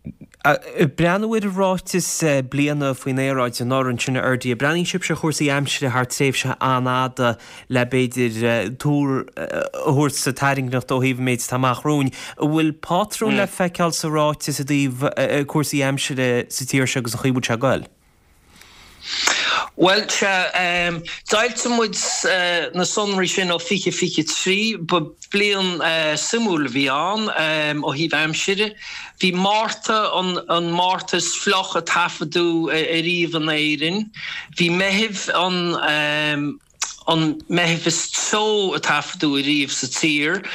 Ag breathnú ar an ráiteas bliana faoin aeráid anuraidh ansin a Fherdia, breathnaíonn sibhse ar chúrsaí aimsire thar tréimhse an-fhada le b'fhéidir tuar a thabhairt sa tairngreacht ó thaobh an méid atá amach romhainn. An bhfuil pátrún le feiceáil sa ráiteas i dtaobh cúrsaí aimsire sa tír seo agus an chaoi a bhfuil sé ag goil? Bhuel, sea, d'fhoilsigh muid na sonraí sin ó fiche fiche trí. Ba bhliain suimiúil a bhí ann ó thaobh aimsire. Bhí Márta an Márta is fliuch a taifeadadh ariamh in Éirinn. Bhí Meitheamh an an Meitheamh is teo a taifeadadh ariamh sa tír.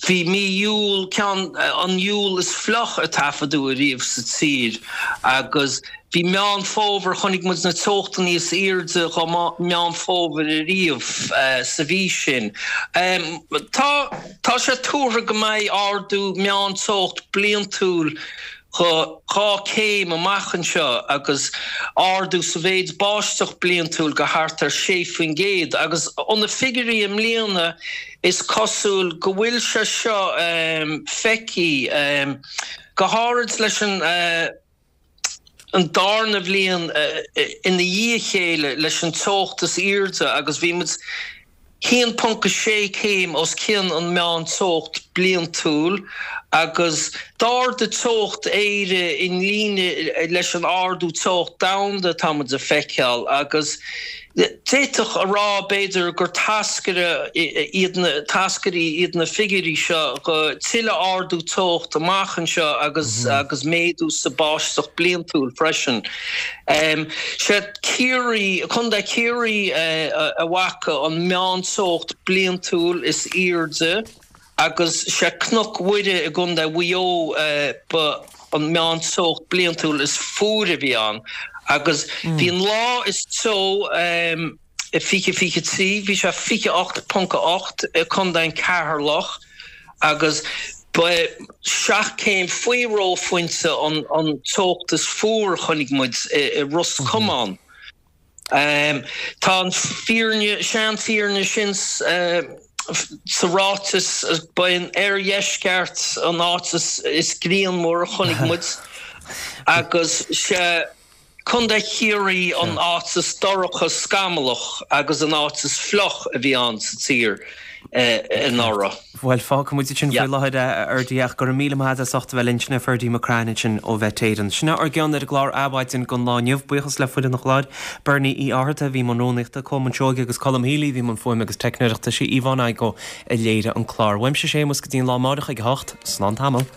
Bhí mí Iúil ceann an Iúil is fliuch a taifeadadh ariamh sa tír agus bhí Meán Fómhair, chonaic muid na teochtanna is airde do Mheán Fómhair ariamh sa mhí sin. Tá tá sé tuartha go mbeidh ardú meán-teocht bliantúil go dhá céim amach anseo agus ardú sa mhéid báisteach bliantúil go thart ar sé faoin gcéad agus ó na figiúirí i mbliana is cosúil go bhfuil sé seo feicthe, go háirid leis an an darna bhliain ina dhiaidh a chéile leis an teocht is airde agus bhí muid haon ponc a sé céim os cionn an meán-teocht bliantúil agus d'ardaigh teocht Éire i líne leis an ardú teocht domhanda atá muid a feiceáil agus d'fhéadfadh a rá b'fhéidir gur táscaire iad na táscairí iad na figiúirí seo go tuilleadh ardú teocht amach anseo agus agus méadú sa báisteach bliantúil freisin. Sé Ciarraí, Contae Chiarraí a bhfaca an meán-teocht bliantúil is airde agus sé Cnoc Mhuire i gContae Mhaigh Eo ba an meán-teocht bliantúil is fuaire a bhí ann agus bhí an lá is teo i fiche fiche trí, bhí sé fiche ocht ponc a ocht i gContae an Ceatharlach agus ba é seacht céim faoi reophointe an teocht is fuaire a chonaic muid i Ros Comáin. Tá an fírinne, seanfhírinne sin sa ráiteas, ba é an oirdheisceart an áit is grianmhar a chonaic muid agus sé Contae Chiarraí an áit is dorcha scamallach agus an áit is fliuch a bhí ann sa tír anuraidh. Bhuel, fágfaidh muid ansin faoi láthair é, a Fherdie, ach go raibh míle maith agat as ucht a bheith linn. Sin é Ferdie McCrann ansin ó Mhet Éireann. Sin é ár gceann ar an gclár Adhmhaidin don lá inniu. Buíochas le foireann an chláir, Bernie Uí Fhátharta a bhí i mbun rúnaíochta, Colm Seoighe agus Colm Healy a bhí i mbun fuaime agus teicneoireachta. Sí Yvonne Igoe a léirigh an clár. Uaimse Séamus go dtí an lá amáireach ag a hocht. Slán tamall.